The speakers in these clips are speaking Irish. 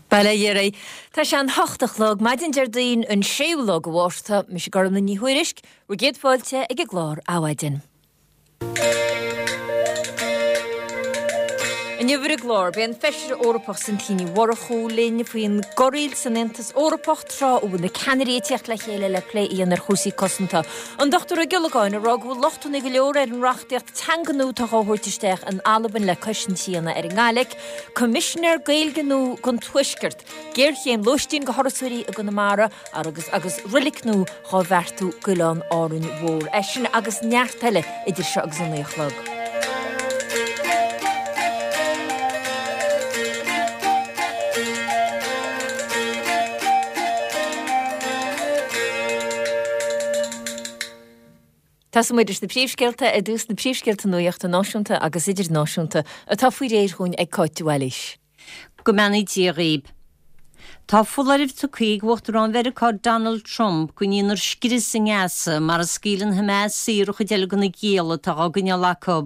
Bail ó Dhia oraibh. Tá sé an hocht a chlog, maidin Déardaoin an séú lá de Mhárta. Mise Gormlaith Ní Thuairisg, bhur gcéad fáilte ag an gclár Adhmhaidin. Inniu ar an gclár, beidh an Feisire Eorpach Cynthia Ní Mhurchú linn faoin gcorraíl san Aontas Eorpach tráth a bhfuil na ceannairí ag tíocht le chéile le plé a dhéanamh ar chúrsaí cosanta. An Dr Ó Giollagáin ag rá go bhfuil lochtanna go leor ar an reachtaíocht teanga nua atá á thabhairt isteach in Albain le cosaint a dhéanamh ar an nGaidhlic. Coimisinéir Gaeilge nua don Tuaisceart, géarchéim lóistín do thurasóirí i gConamara agus agus roilic nua dhá bheartú d'Oileán Árainn Mhór. É sin agus neart eile idir seo agus a 9 a chlog. Tosóidh muid leis na príomhscéalta ar dtús, na príomhscéalta nuachta náisiúnta agus idirnáisiúnta atá faoi réir dhúinn ag Cáit de Bhailís. Go mbeannaí Dia dhaoib. Tá foláireamh tugtha ag Uachtarán Mheiriceá Donald Trump go ndéanfar scrios i nGaza mara scaoileann Hamas saor an chuid eile de na gialla atá á gcoinneáil acu.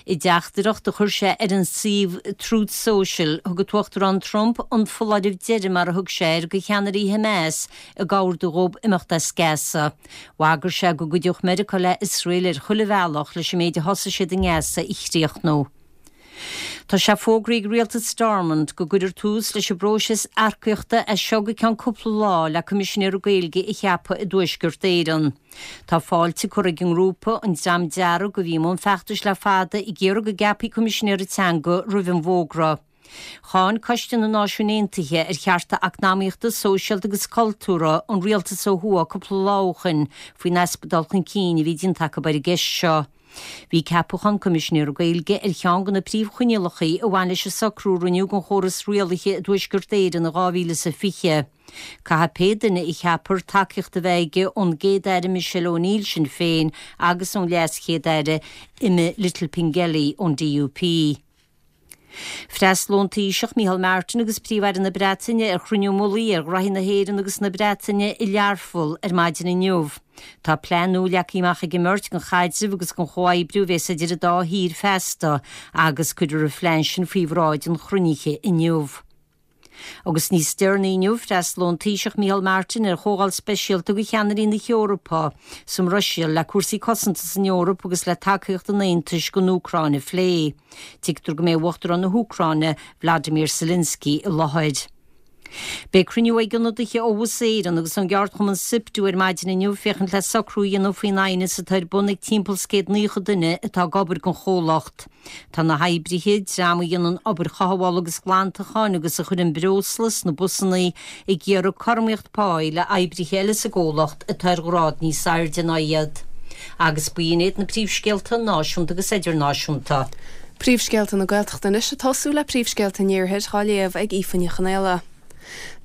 I dteachtaireacht a chuir sé ar an suíomh Truth Social, thug an tUachtarán Trump an foláireamh deiridh mar a thug sé air do cheannairí Hamas ag ordú dhóibh imeacht as Gaza. Bhagair sé go gcuideodh Meiriceá le Iosrael ar chuile bhealach leis an méid a thosaigh siad i nGaza a chríochnú. Tá sé fógraithe ag rialtas Stormont go gcuirfear tús leis an bpróiseas earcaíochta as seo go ceann cúpla lá le Coimisinéir Gaeilge a cheapadh i dTuaisceart Éireann. Tá fáilte curtha ag an ngrúpa An Dream Dearg, a bhí i mbun feachtais le fada, ag iarraidh go gceapfaí Coimisinéir Teanga roimh an bhfógra. Cháin Coiste na Náisiún Aontaithe ar Chearta Eacnamaíochta, Sóisialta agus Cultúrtha an rialtas ó thuaidh cúpla lá ó shoin faoin easpa dul chun cinn a bhí déanta acu ar an gceist seo. Bhí ceapachán Coimisinéara Gaeilge ar cheann de na príomhchoinníollacha a bhain leis an socrú a rinneadh don chóras rialaithe i dTuaisceart Éireann in 2020. Caithfidh pé duine a cheapfar tacaíocht a bheith aige ón gCéad-Aire Michelle O'Neill Sinn Féin agus ón LeasChéad-Aire Emma Little-Pengelly ón DUP. Freastalóidh an Taoiseach Micheál Martin agus Príomh-Aire na Breataine ar chruinniú mullaigh ar ghraithí na hÉireann agus na Breataine i Learpholl ar maidin inniu. Tá plean nua leagtha amach ag an mbeirt don chaidreamh agus don chomhoibriú a bheas idir an dá thír feasta agus cuirfear an phlean sin faoi bhráid an chruinnithe inniu. Agus níos deireanaí inniu, freastalóidh an Taoiseach Micheál Martin ar chomhdháil speisialta do cheannairí na hEorpa sa mBruiséil le cúrsaí cosanta san Eoraip agus le tacaíocht an Aontais don Úcráin a phlé. Tuigtear go mbeidh Uachtarán na hÚcráine, Vladimir Zelensky, i láthair. Beidh cruinniú ag ionadaithe ó Bhus Éireann agus ón gceardchumann Siptu ar maidin inniu féachaint le socrú a dhéanamh faoin aighneas atá ar bun ag timpeall 's 190 duine atá ag obair don chomhlacht. Tá na hoibrithe, dream a dhéanann obair chothabhála agus ghlantacháin agus a chuireann breosla sna busanna, ag iarraidh cothromaíocht páí le oibrithe eile sa gcomhlacht atá ar ghrád níos airde ná iad. Agus b'in iad na príomhscéalta náisiúnta agus idirnáisiúnta. Príomhscéalta na Gaeltachta anois ag tosú le príomhscéalta an Iarthair dhá léamh ag Aoife Ní Chonaola.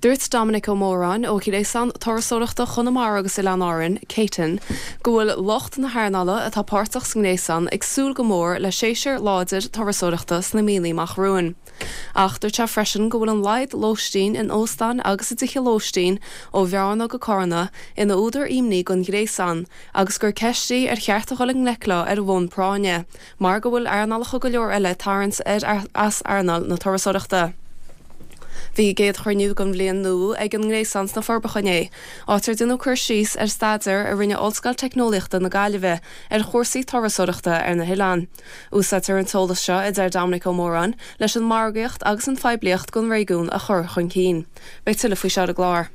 Dúirt Dominic Ó Móráin ó Ghréasán Turasóireachta Chonamara agus Oileáin Árann, Cétain, go bhfuil lucht na hearnála atá páirteach sa ngréasán ag súil go mór le séasúr láidir turasóireachta sna míonna amach romhainn. Ach dúirt sé freisin go bhfuil an laghad lóistín in óstáin agus i dtithe lóistín ó Bhearna go Carna ina údar imní don ghréasán agus gur ceist í ar cheart a dhul i ngleic leo ar bhonn práinne. mar go bhfuil earnálacha go leor eile ag tarraingt air as earnáil na turasóireachta. Bhí a gcéad chruinniú den bhliain nua ag an nGréasán sna Forbacha inné, áit ar deineadh cur síos ar staidéar a rinne Ollscoil Teicneolaíochta na Gaillimhe ar chúrsaí turasóireachta ar na hoileáin. Úsáidtear an t-eolas seo, a deir Dominic Ó Móráin, leis an margaíocht agus an phoiblíocht don réigiún a chur chun cinn. Beidh tuilleadh faoi seo ar an gclár.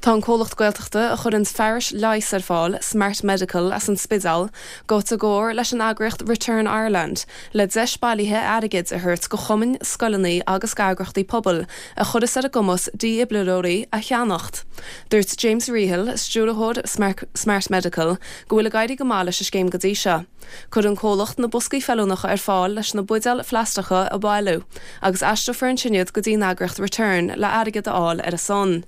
Tá an comhlacht Gaeltachta a chuireanns fearais leighis ar fáil, Smart Medical as an Spidéal, gaibhte i gcomhar leis an eagraíocht Return Ireland le deis bailithe airgid a thabhairt go chumainn, scoileanna agus d'eagraíochtaí pobail a chuirfeas ar a gcumas dífhibrileoirí a cheannacht. Dúirt James Rehill, Stiúrthóir Smart Medical, go bhfuil ag éirí go maith leis an scéim go dtí seo. Cuireann an comhlacht na boscaí feiliúnacha ar fáil leis na buidéil phlaisteacha a bhailiú agus aistreofar ansin iad go dtí an eagraíocht Return le airgead a fháil ar a son.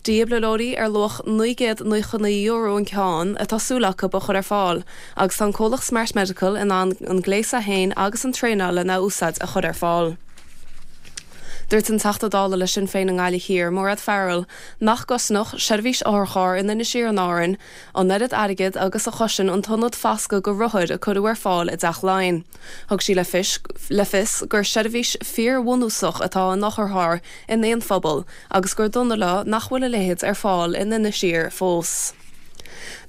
Dífhibrileoirí ar luach €999 an ceann atá súil acu a chur ar fáil agus tá an comhlacht Smart Medical in ann an gléas é féin agus an traenáil lena úsáid a chur ar fáil. Dúirt an Teachta Dála le Sinn Féin i nGaillimh Thiar, Mairéad Farrell, nach gcosnódh seirbhís otharchairr in Inis Oírr in Árainn an oiread airgid agus a chosain an t-ionad foscaidh do rothair a cuireadh ar fáil i dTeach Laighean. Thug sí le fios gur seirbhís fíorbhunúsach atá in otharcharr in aon phobal agus gur dona leo nach bhfuil a leithéid ar fáil in Inis Oírr fós.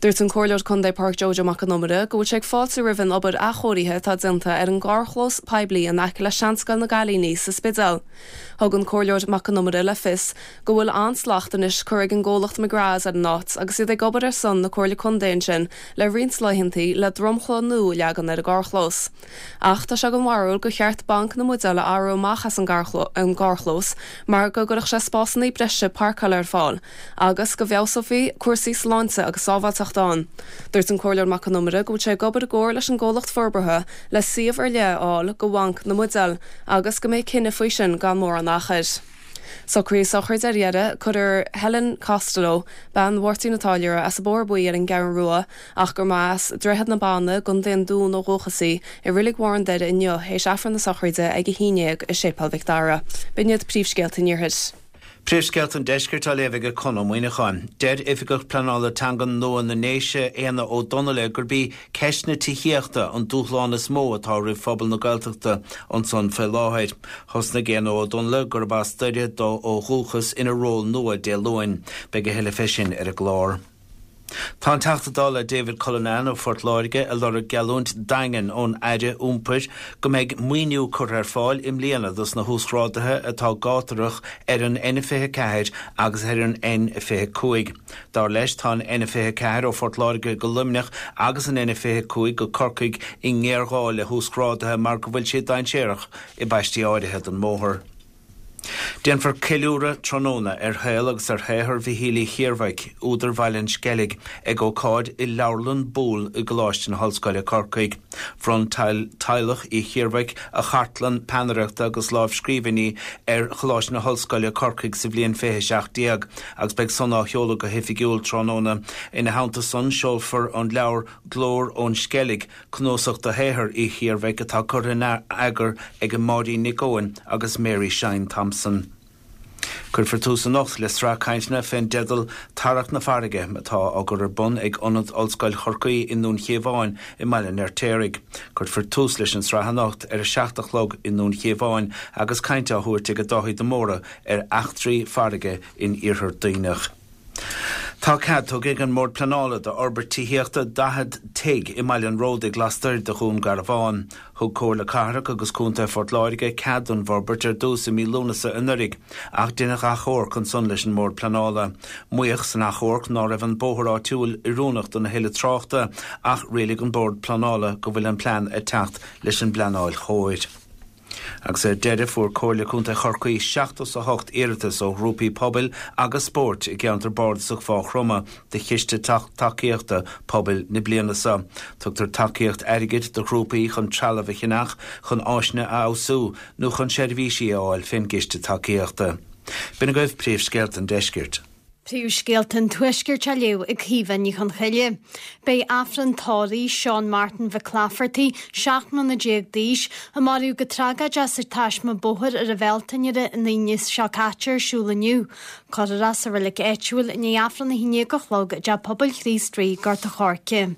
Dúirt an Comhairleoir Contae Pádraic Joe Joe Mac Con Iomaire go bhfuil sé ag fáiltiú roimh an obair athchóirithe atá déanta ar an gcarrchlós poiblí in aice le Seanscoil na gCailíní sa Spidéal. Thug an Comhairleoir Mac Con Iomaire le fios go bhfuil an-slacht anois curtha ag an gcomhlacht McGraths ar an áit agus iad ag obair ar son na Comhairle Contae ansin le roinnt laethantaí le dromchla nua a leagan ar an gcarrchlós. Ach tá sé den bharúil gur cheart banc na mbuidéal a athrú amach as an gcarrchlós mar go gcuirfeadh sé spásanna breise páirceála ar fáil agus go bhfeabhsófaí cúrsaí sláinte agus sábháilteachta ann. Dúirt an Comhairleoir Mac Con Iomaire go bhfuil sé ag obair i gcomhar leis an gcomhlacht forbartha le suíomh ar leith a fháil do bhanc na mbuidéal agus go mbeidh cinneadh faoi sin gan mórán achair. Socruithe sochraide ar deireadh, cuirfear Helen Costello, bean Mháirtín an Táilliúra as an Bóthar Buí ar an gCeathrú Rua ach gur mba as Droichead na Banna i gContae an Dúin ó dhúchas í, i Reilig Bharr an Doire inniu théis Aifreann na sochraide ag 11 i Séipéal Mhic Dara. B'in iad príomhscéalta an Iarthair. Príomhscéalta an Deiscirt á léamh ag Conn Ó Muíneacháin. Deir Oifigeach Pleanála Teangan nua na nDéise, Éanna Ó Donnaile, gurb í ceist na tithíochta an dúshlán is mó atá roimh phobal na Gaeltachta ansan faoi láthair. Thosnaigh Éanna Ó Donnaile, gurb as Doire dó ó dhúchas, ina ról nua Dé Luain. Beidh a thuilleadh fé sin ar an gclár. Tá an Teachta Dála David Cullinane ó Phort Láirge ag lorg geallúint daingean ón Aire Iompair go mbeidh maoiniú curtha ar fáil i mbliana dos na huasghráduithe atá gátarach ar an N24 agus ar an N25. Dar leis, tá an N24 ó Phort Láirge go Luimneach agus an N25 go Corcaigh i ngéarghá le huasghráduithe mar go bhfuil siad dainséarach i bpaistí áirithe den mbóthar. Déanfar ceiliúradh tráthnóna ar shaol agus ar shaothar Mhichíl Uí Chiarmhaic, údar Bhaile an Sceilg, ag ócáid i Leabharlann Boole i gColáiste na hOllscoile, Corcaigh. Bhronn teaghlach Uí Chiarmhaic a chartlann peannaireachta agus lámhscríbhinní ar Choláiste na hOllscoile, Corcaigh sa bhliain 2017 agus beidh san á sheoladh go hoifigiúil tráthnóna. Ina theannta san, seolfar an leabhar Glór ón Sceilg, Cnuasach de shaothar Uí Chiarmhaic atá curtha in eagar ag Máirín Nic Eoin agus Mary Shine Thompson. Cuirfear tús anocht le sraith cainteanna fén dteideal 'Tarrac na Farraige' atá á gcur ar bun ag Ionad Ollscoil Chorcaí i nDún Chíomháin i mBaile an Fheirtéaraigh. Cuirfear tús leis an sraith anocht ar a 7 a chlog i nDún Chíomháin agus caint á thabhairt ag Dáithí de Mórdha ar eachtraí farraige in Iarthar Duibhneach. Tá cead tugtha ag an mBord Pleanála d'fhorbairt tithíochta 40 tigh i mBaile an Ródaigh lastoir de Dhún Garbhán. Thug Comhairle Cathrach agus Contae Phort Láirge cead don bhforbairt ar dtús i mí Lúnasa anuraidh ach deineadh achomharc ansan leis an mBord Pleanála. Maíodh san achomharc ná raibh an bóthar áitiúil oiriúnach don a thuilleadh tráchta ach rialaigh an Bord Pleanála go bhfuil an plean ag teacht leis an bpleanáil chóir. Agus ar deireadh, fuair Comhairle Contae Chorcaí 78 iarratas ó ghrúpaí pobail agus spóirt i gceantar bardasach Mhaigh Chromtha do Chiste Tacaíochta Pobail na bliana seo. Tugtar tacaíocht airgid do ghrúpaí chun trealamh a cheannach, chun áiseanna a fheabhsú nó chun seirbhísí a fháil fén gCiste Tacaíochta. B'in agaibh príomhscéalta an deiscirt. Príomhscéalta an Tuaiscirt á léamh ag Caoimhe Ní Chonchoille. Beidh Aifreann tórraimh Seán Martin Mhic Laifeartaigh, 17 mbliana d'aois, a maraíodh go tragóideach sa taisme bóthair ar an Bhealtaine an Aoine seo caite ar siúl inniu. Cuirfear é sa reilig áitiúil i ndiaidh Aifreann 11 a chlog i dTeach Pobail Chríost Rí, Gort a' Choirce.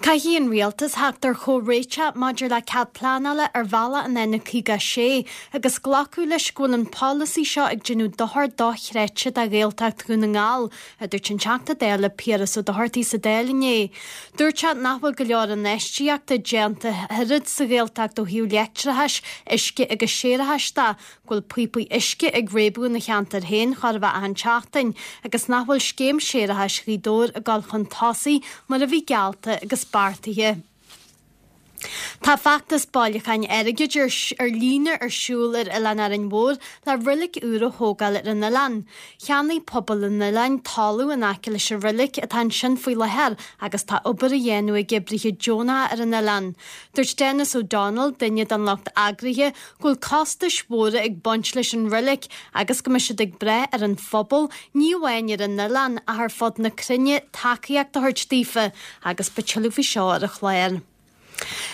Caithfidh an Rialtas theacht ar chomhréiteach maidir le cead pleanála ar bhealach an N56 agus glacadh leis go bhfuil an polasaí seo ag déanamh dochar dochreidte do Ghaeltacht Dhún na nGall, a dúirt an Teachta Dála Piaras Ó Dochartaigh sa Dáil inné. Dúirt sé nach bhfuil go leor infheistíochta déanta oiread sa Ghaeltacht ó thaobh leictreachais, uisce agus séarachais de go bhfuil píopaí uisce ag réabadh ina cheantar féin chóir a bheith achan tseachtain agus nach bhfuil scéim séarachais Ghaoth Dobhair ag dul chun tosaigh mar a bhí geallta agus beartaithe. Tá feachtas bailiúcháin airgid ar líne ar siúl ar Oileán Árainn Mhór le reilig úr a thógáil ar an oileán. Cheannaigh pobal an oileáin talamh in aice leis an reilig atá ansin faoi láthair agus tá obair á dhéanamh ag oibrithe deonacha ar an oileán. Dúirt Denis O'Donnell, duine den lucht eagraithe, go bhfuil costais mhóra ag baint leis an reilig agus go mbeidh siad ag brath ar an phobal, ní amháin ar an oileán ach ar fud na cruinne, tacaíocht a thabhairt daofa agus beidh tuilleadh faoi seo ar an chlár.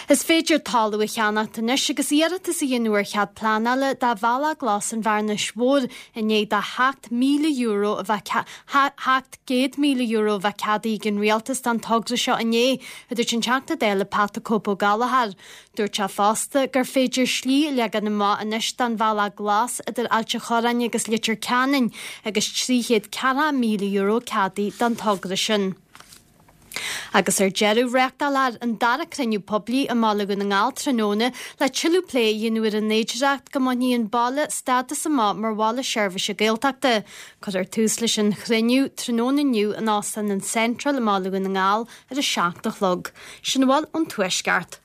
Is féidir talamh a cheannacht anois agus iarratas a dhéanamh ar chead pleanála do Bhealach Glas an Bhearnais Mhóir i ndiaidh do €7,000 a bheith €700,000 a bheith ceadaithe ag an Rialtas don togra seo inné, a dúirt an Teachta Dála Pat 'The Cope Ó Gallchóir. Dúirt sé fosta gur féidir slí a leagan amach anois don Bhealach Glas idir Ailt an Chorráin agus Leitir Ceanainn agus €340,000 ceadaithe don togra sin. Agus ar deireadh, reáchtálfar an dara cruinniú poiblí i mBaile Dhún na nGall tráthnóna le tuilleadh plé a dhéanamh ar an fhéidearthacht go mbainfidh an baile stádas amach mar bhaile seirbhíse Gaeltachta. Cuirfear tús leis an chruinniú tráthnóna inniu in Óstán an Central i mBaile Dhún na nGall ar a 7 a chlog. Sin a bhfuil ón Tuaisceart.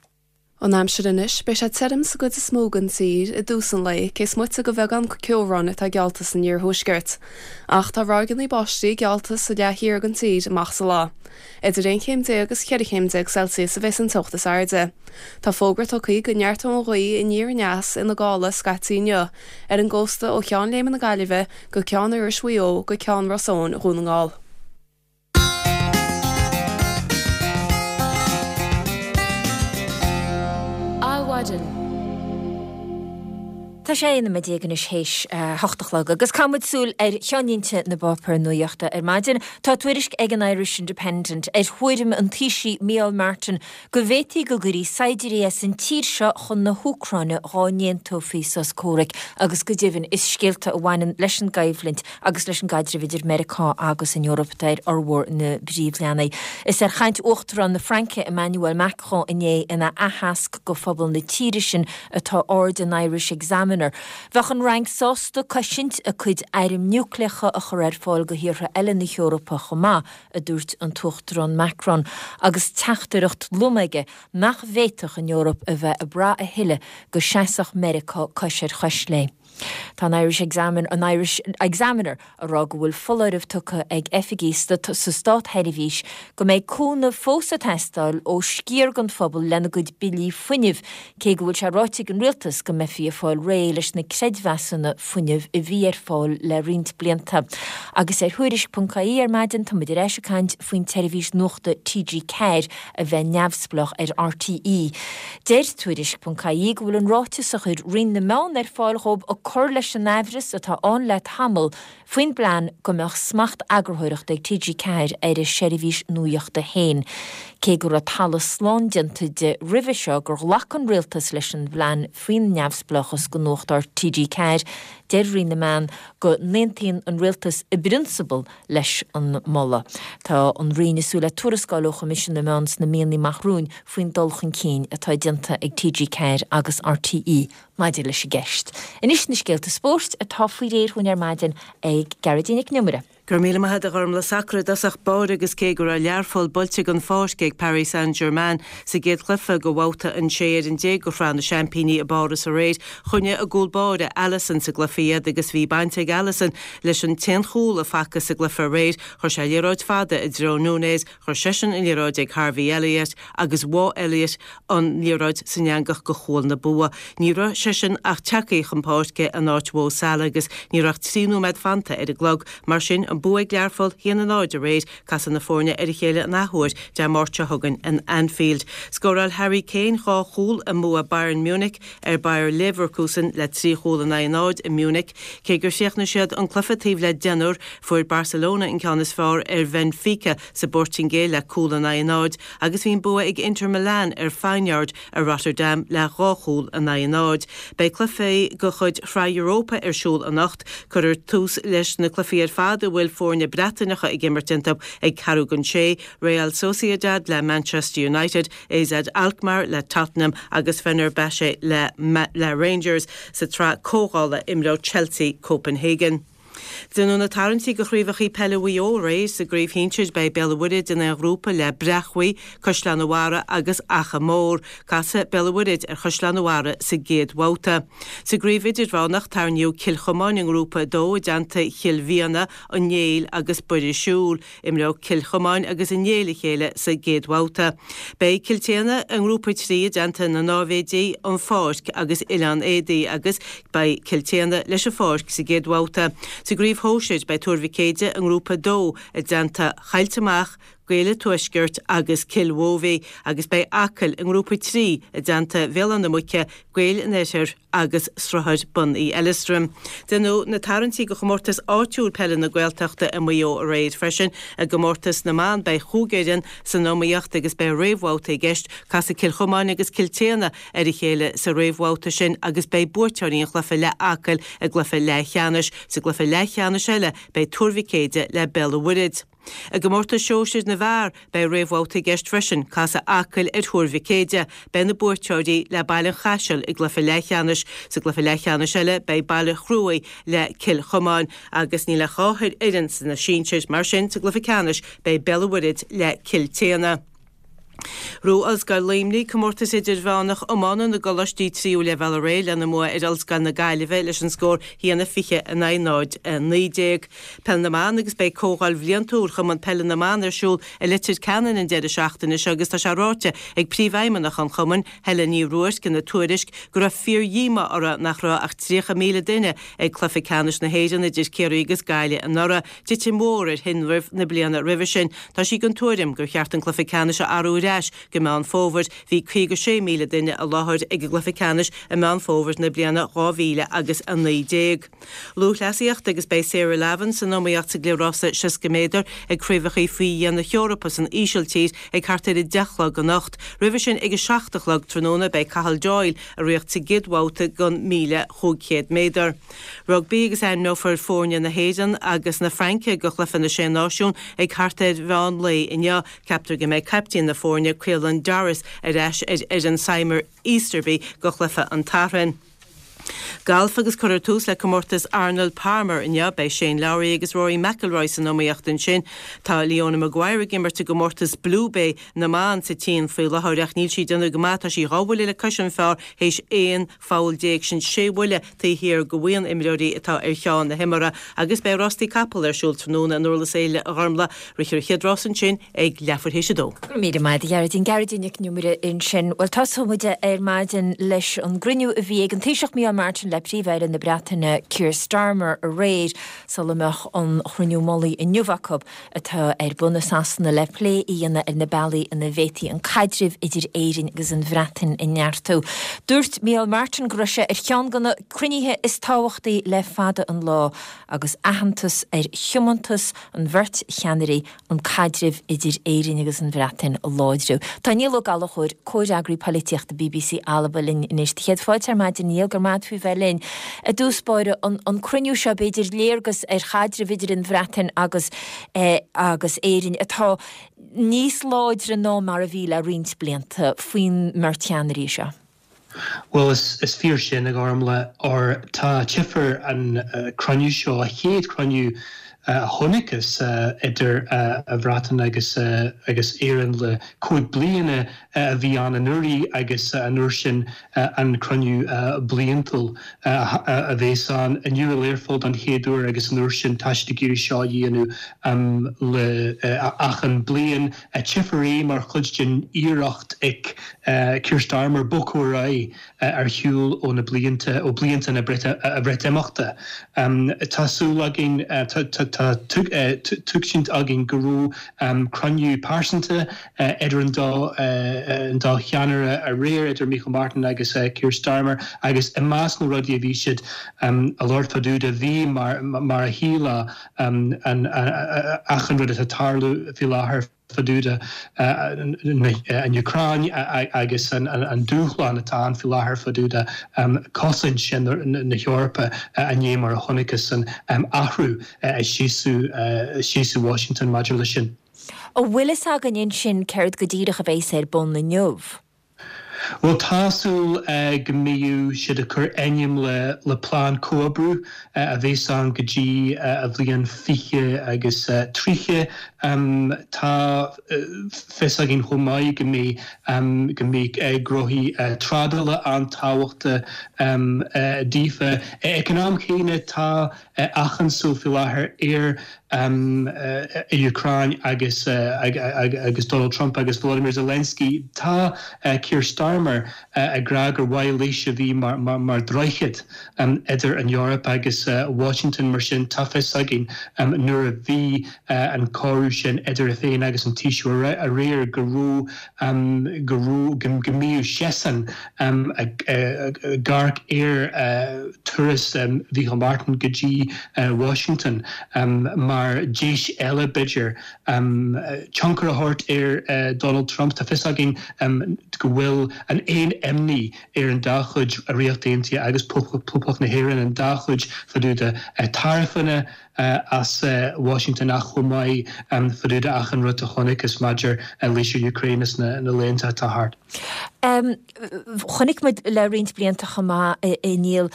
An aimsir anois, beidh sé tirim sa gcuid is mó den tír i dtús an lae, cé is moite de bheagán ceobhráin atá geallta san iarthuaisceart. Ach tá ráigeanna báistí geallta sa leath thiar den tír amach sa lá. Idir 11 chéim agus 14 chéim Celsius a bheas an teocht is airde. Tá fógra tugtha go neartóidh an ghaoth aniar aneas ina gála scaití inniu, ar an gcósta ó Cheann Léime na Gaillimhe go Ceann Iorrais Mhaigh Eo go Ceann Ros Eoin Dhún na nGall. Adhmhaidin. Tá sé 11 nóiméad anois théis a hocht a chlog agus caithfidh muid súil ar cheannlínte na bpáipéar nuachta ar maidin. Tá tuairisc ag an Irish Independent ar thuairim an Taoisigh Micheál Martin go bhféadfaí go gcuirí saighdiúirí as an tír seo chun na hÚcráine dhá n-aontófaí sos comhraic agus go deimhin is scéalta a bhaineann leis an gcoimhlint agus leis an gcaidreamh idir Meiriceá agus an Eoraip atá ar fhormhór na bpríomhleathanaigh. Is ar chaint Uachtarán na Fraince, Emmanuel Macron inné ina aitheasc go phobal na tíre sin atá aird an Irish Examiner. Bheadh an Fhrainc sásta cosaint a cuid airm núicléacha a chur ar fáil go thíortha eile na hEorpa chomh maith, a dúirt an tUachtarán Macron, agus teachtaireacht lom aige nach bhféadfadh an Eoraip a bheith ag brath a thuilleadh go seasfadh Meiriceá cois ar chois léi. Tá an Irish Examiner, an Irish Examiner ag rá go bhfuil foláireamh tugtha ag oifigigh sa státseirbhís go mbeidh cúnamh fós ag teastáil ó sciar den phobal lena gcuid billí fuinnimh, cé go bhfuil sé ráite ag an rialtas go mbeifí ag fáil réidh leis na creidmheasanna fuinnimh a bhí ar fáil le roinnt blianta. Agus ar Thuairisc.ie ar maidin tá muid ar ais ag caint faoin tseirbhís nuachta TG4 a bheith neamhspleách ar RTÉ. Deir Tuairisc.ie go bhfuil an ráiteas a chuir Roinn na Meán ar fáil dhóibh ag cur leis an aimhreas atá ann le tamall faoin bplean go mbeadh smacht eagarthóireachta ag TG4 ar a seirbhís nuachta féin. Cé go raibh talamh slán déanta de roimhe seo gur ghlac an rialtas leis an bplean faoin neamhspleáchas go Nuacht TG4, deir Roinn na Meán go n-aontaíonn an rialtas i bprionsabal leis an moladh. Tá an Roinn ag súil le tuarascáil ó Choimisiún na Meán sna míonna amach romhainn faoin dul chun cinn atá déanta ag TG4 agus RTÉ maidir leis an gceist. Anois na scéalta spóirt atá faoi réir dhúinn ar maidin ag Gearóidín Nic an Iomaire. Go raibh míle maith agat a Ghormlaith. Sacar i dtosach báire agus cé go raibh Learpholl buailte den pháirc ag Paris Saint-Germain sa gcéad chluiche de bhabhta an 16 ar an de Shraith na Seaimpíní i bPáras aréir, choinnigh a gcúl báire Alisson sa gcluiche iad agus bhí baint ag Alisson Leis an t-aon chúl a facthas sa gcluiche aréir, chuir sé liathróid fada i dtreo Nunez, chuir seisean an liathróid ag Harvey Elliott agus bháigh Elliott an liathróid san eangach go chúl na bua. Ní raibh seisean ach tagtha chun páirce in áit Mho Salah agus ní raibh ach 3 nóiméad fanta ar an gclog. Mar sin, an bua ag Learpholl, 1-0 aréir, Casfaidh na foirne ar a chéile an athuair Dé Máirt seo chugainn in Anfield. Scóráil Harry Kane dhá chúl i mbua Bayern Munich ar Bayer Leverkusen le trí chúl in aghaidh a náid i Munich. Cé gur chríochnaigh siad an cluiche taobh le deichniúr, fuair Barcelona an ceann is fearr ar Bhenfica sa bPortaingéil le cúl in aghaidh a náid agus bhí an bua ag Inter Milan ar Feyenoord i Rotterdam le dhá chúl in aghaidh a náid. Beidh cluichí de chuid Shraith Europa ar siúl anocht. Cuirfear tús leis na cluichí ar fad a bhfuil foirne Breataineacha ag imirt iontu ag ceathrú don sé, Real Sociedad le Manchester United, AZ Alkmaar le Tottenham agus Fenerbahce le Rangers. Sa tsraith comhdhála imreoidh Chelsea Copenhagen. Déanadh na tarraingtí do chraobhacha peile Mhaigh Eo aréir. Sa gcraobh shinsir beidh Béal an Mhuirthead in aon ghrúpa le Breac Bhuí, Caisleán an Bharraigh agus Achadh Mór. Casfaidh Béal an Mhuirthead ar Chaisleán an Bharraigh sa gcéad bhabhta. Sa gcraobh idirmheánach tarraingíodh Cill Chomáin i ngrúpa 2 i dteannta Chill Mhiadhna, An Néill agus Buire Siúil. Imreoidh Cill Chomáin agus An Néill a chéile sa gcéad bhabhta. Beidh Cill tSéadhna i ngrúpa 3 i dteannta na Náibhéidí, An Pháirc agus Oileán Éadaí agus beidh Cill tSéadhna leis an Pháirc sa gcéad bhabhta. Sa gcraobh shóisir beidh Tuar Mhic Éide i ngrúpa 2 i dteannta Choillte Mach. Gaeil an Tuaiscirt agus Cill Mhóibhí agus beidh Acaill i nGrúpa 3 i dteannta Bhéal Átha na Muice, Gaeil an Oirthir agus Sruthair Bun Uí Eileastraim. Déanadh na tarraingtí do chomórtas áitiúil peile na Gaeltachta i Maigh Eo aréir freisin. I gcomórtas na mban beidh chúig fhoireann san iomaíocht agus beidh réamhbhabhta i gceist. Casfaidh Cill Chomáin agus Cill tSéadhna ar a chéile sa réamhbhabhta sin agus beidh buaiteoirí an chluiche le Acaill i gcluiche leathcheannais. Sa gcluiche leathcheannais eile beidh Tuar Mhic Éide le Béal an Mhuirthead. I gcomórtas sóisir na bhfear, beidh réamhbhabhta i gceist freisin, casfaidh Acaill ar Thuar Mhic Éide. Beidh na buaiteoirí le Baile an Chaisil i gcluiche leathcheannais. Sa gcluiche leathcheannais eile, beidh Baile Chruaich le Cill Chomáin agus níl ach 2 fhoireann sna sinsir, mar sin sa gcluiche ceannais beidh Béal an Mhuirthead le Cill tSéadhna. Ghnóthaigh Ollscoil Luimnigh comórtas idirmheánach iomána na gcoláistí tríú leibhéal aréir lena mbua ar Ollscoil na Gaillimhe leis an scór 1-20 in aghaidh 0-19. Peil na mBan agus beidh comhdháil bhliantúil Chumann Peile na mBan ar siúl i Leitir Ceanainn an deireadh seachtaine seo agus tá sé ráite ag príomhfheidhmeannach an chumainn, Helen Ní Ruairc ina tuairisc go raibh fíor-dhíomá uirthi nach raibh ach 30,000 duine ag cluiche ceannais na hÉireann idir Ciarraí agus Gaillimh anuraidh. Titim mhór ar thinreamh na bliana roimhe sin. Tá sí den tuairim gur cheart an cluiche ceannais a athrú ar ais go Meán Fómhair. Bhí 56,000 duine i láthair ag an gcluiche ceannais i Meán Fómhair na bliana 2000 agus 19. Lúthchleasaíocht agus beidh Sarah Lavin san iomaíocht sa gcliathrása 60 méadar ag Craobhacha Faoi Dheich na hEorpa san Ísiltír ag thart ar 10 a chlog anocht. Roimhe sin ag 7 a chlog tráthnóna beidh Cathal Doyle ag ritheacht sa gcéad bhabhta den 1,500 méadar. Rugbaí agus ainmneofar foirne na hÉireann agus na Fraince do chluiche na Sé Náisiún ag thart ar mheán lae inniu. Ceaptar go mbeidh caiptín na foirne, Caelan Doris, ar ais ar fhoireann Simon Easterby do chluiche an tSathairn. Galf agus cuirfear tús le comórtas Arnold Palmer inniu. Beidh Shane Lowry agus Rory McIlroy san iomaíocht ansin. Tá Leona Maguire ag imirt i gcomórtas Blue Bay na mban sa tSín faoi láthair ach níl sí ag déanamh go maith. Tá sí dhá bhuille le cois an phar théis 11 pholl, sin sé bhuille taobh thiar de bhuíon imreoirí atá ar cheann na himeartha agus beidh rástaí capall ar siúl tráthnóna in Durlas Éile a Ghormlaith. Rithfear an chéad rás ansin ag leathuair théis a dó. Go raibh míle maith agat a Ghearóidín. Gearóidín Nic an Iomaire ansin. Bhuel, tosóidh muid ar maidin leis an gcruinniú a bhí ag an Taoiseach Micheál Martin le Príomh-Aire na Breataine Keir Starmer aréir sula mbeadh an chruinniú mullaigh inniu acu. atá ar bun i Sasana le plé a dhéanamh ar na bealaí ina bhféadfaí an caidreamh idir Éirinn agus an Bhreatain a neartú. Dúirt Micheál Martin go raibh sé ar cheann de na cruinnithe is tábhachtaí le fada an lá agus aitheantas ar thiomantas an bheirt cheannairí an caidreamh idir Éirinn agus an Bhreatain a láidriú. Tá Niall Ó Gallchóir, Comhfhreagraí Polaitíochta bbc Alba linn anois. Do chéad fáilte ar maidin, Niall, go raibh maith agat faoi bheith linn. I dtús báire, an cruinniú seo, b'fhéidir léargas ar chaidreamh idir an Bhreatain agus agus Éirinn atá níos láidre ná mar a bhí le roinnt blianta faoin mbeirt cheannairí seo. Bhuel, is fíor sin, a Ghormlaith, óir tá tchífear an cruinniú seo, a chéad chruinniú a chonacthas idir an Bhreatain agus agus Éirinn le 5 bliana a bhí ann anuraidh agus an uair sin an cruinniú bliantúil a bhéas ann inniu i Learpholl don chéad uair agus an uair sin tá siad ag iarraidh seo a dhéanamh le achan bliain. Tchífear é mar chuid den iarracht ag Keir Starmer bogadh ar aghaidh ar shiúl ó na blianta, ó blianta na Breatimeachta. Tá súil againn, tá tuigsint againn go raibh cruinniú pearsanta idir an dá cheannaire aréir, idir Micheál Martin agus Keir Starmer, agus i measc na rudaí a bhí siad a labhairt fá dtaobh de, bhí, mar a shílfeá, achan rud atá ag tarlú faoi láthair fá dtaobh de an Úcráin agus an dúshlán atá ann faoi láthair fá dtaobh de cosaint na hEorpa i ndiaidh mar a chonacthas an athrú i seasamh Washington maidir leis sin. An bhfuil fhios againn ansin céard go díreach a bheas ar bun inniu? Bhuel, tá súil go mbeidh siad ag cur ainm le plean comhoibriú a bheas ann go dtí a bhliain 20 agus 30. Tá fios againn chomh maith go mbeidh go mbeidh gnóthaí trádála an-tábhachtach daofa. Ag an am chéanna tá achan súil faoi láthair ar an Úcráin agus agus Donald Trump agus Volodymyr Zelensky. Tá Keir Starmer. Starmer ag rá gur mhaith leis a bhí mar droichead idir an Eoraip agus Washington. Mar sin, tá fios againn nuair a bhí an comhrá sin idir é féin agus an Taoiseach aréir go raibh, go raibh, go mbíodh seisean ag amharc ar turas Mhícheál Martin go dtí Washington mar deis eile, b'fhéidir, tionchar a thabhairt ar Donald Trump. Tá fios againn go bhfuil an aon imní ar an dá chuid, Ríocht Aontaithe agus Poblacht na hÉireann, an dá chuid fá dtaobh de taraifeanna as Washington ach chomh maith fá dtaobh de achan rud a chonacthas maidir leis an Ukraine sna laethanta atá thart. Chonaic muid le roinnt blianta chomh maith, a Niall,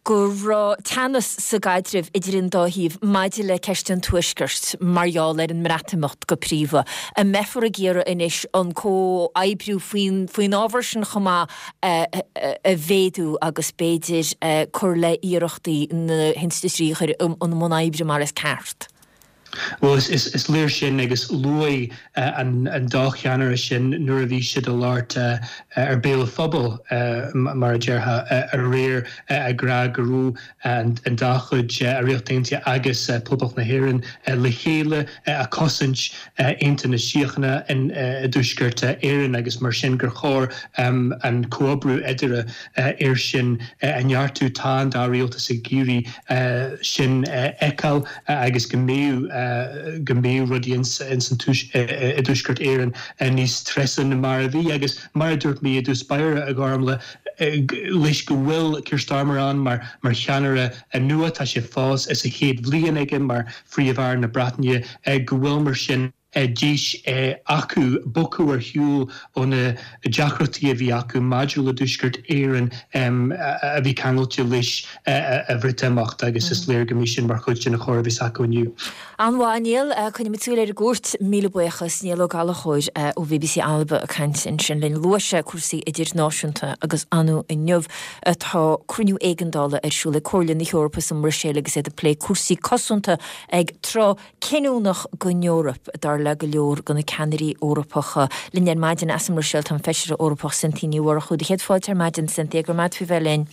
go raibh teannas sa gcaidreamh idir an dá thaobh maidir le ceist an Tuaiscirt, mar gheall ar an mBreatimeacht go príomha. An mbeifear ag iarraidh anois an comhoibriú faoin ábhar sin chomh maith a mhéadú agus b'fhéidir cur le hiarrachtaí na hinstitiúidí a chur i mbun oibre mar is ceart? Bhuel, is léir sin agus luaigh an dá cheannaire sin nuair a bhí siad ag labhairt ar Béal an Phobail, mar a déarfá, aréir ag rá go raibh an dá chuid, an Ríocht Aontaithe agus Poblacht na hÉireann, le chéile ag cosaint aontú na síochána i dTuaisceart Éireann agus mar sin gur chóir an comhoibriú eadarthu air sin a neartú. Tá an dá rialtas ag iarraidh sin a fheiceáil. agus go mbeadh go mbeadh rudaí ins an i dTuaisceart Éireann níos treise na mar a bhí agus mar a dúirt mé i dtús báire, a Ghormlaith, leis go bhfuil Keir Starmer ann mar mar cheannaire nua, tá sé fós is a chéad bhliain aige mar Phríomh-Aire na Breataine, go bhfuil mar sin. deis acu bogadh ar shiúl ó na deacrachtaí a bhí acu maidir le dTuaisceart Éireann a bhí ceangailte leis an Bhreatimeacht agus is léir go mbeidh sin mar chuid den chomhrá a bheas acu inniu. An-mhaith, Niall. Coinneoimid súil ar an gcuairt. Míle buíochas. Niall Ó Gallchóir ó BBC Alba ag caint ansin linn. Luaigh sé cúrsaí idirnáisiúnta agus ar ndóigh inniu tá cruinniú éigeandála ar siúl ag Comhairle na hEorpa sa mBruiséil agus iad ag plé cúrsaí cosanta ag tráth cinniúnach don Eoraip, dar le go leor de na ceannairí Eorpacha. Linn ar maidin as an mBruiséil tá an Feisire Eorpach Cynthia Ní Mhurchú. Do chéad fáilte ar maidin, Cynthia, go raibh maith agat faoi bheith linn.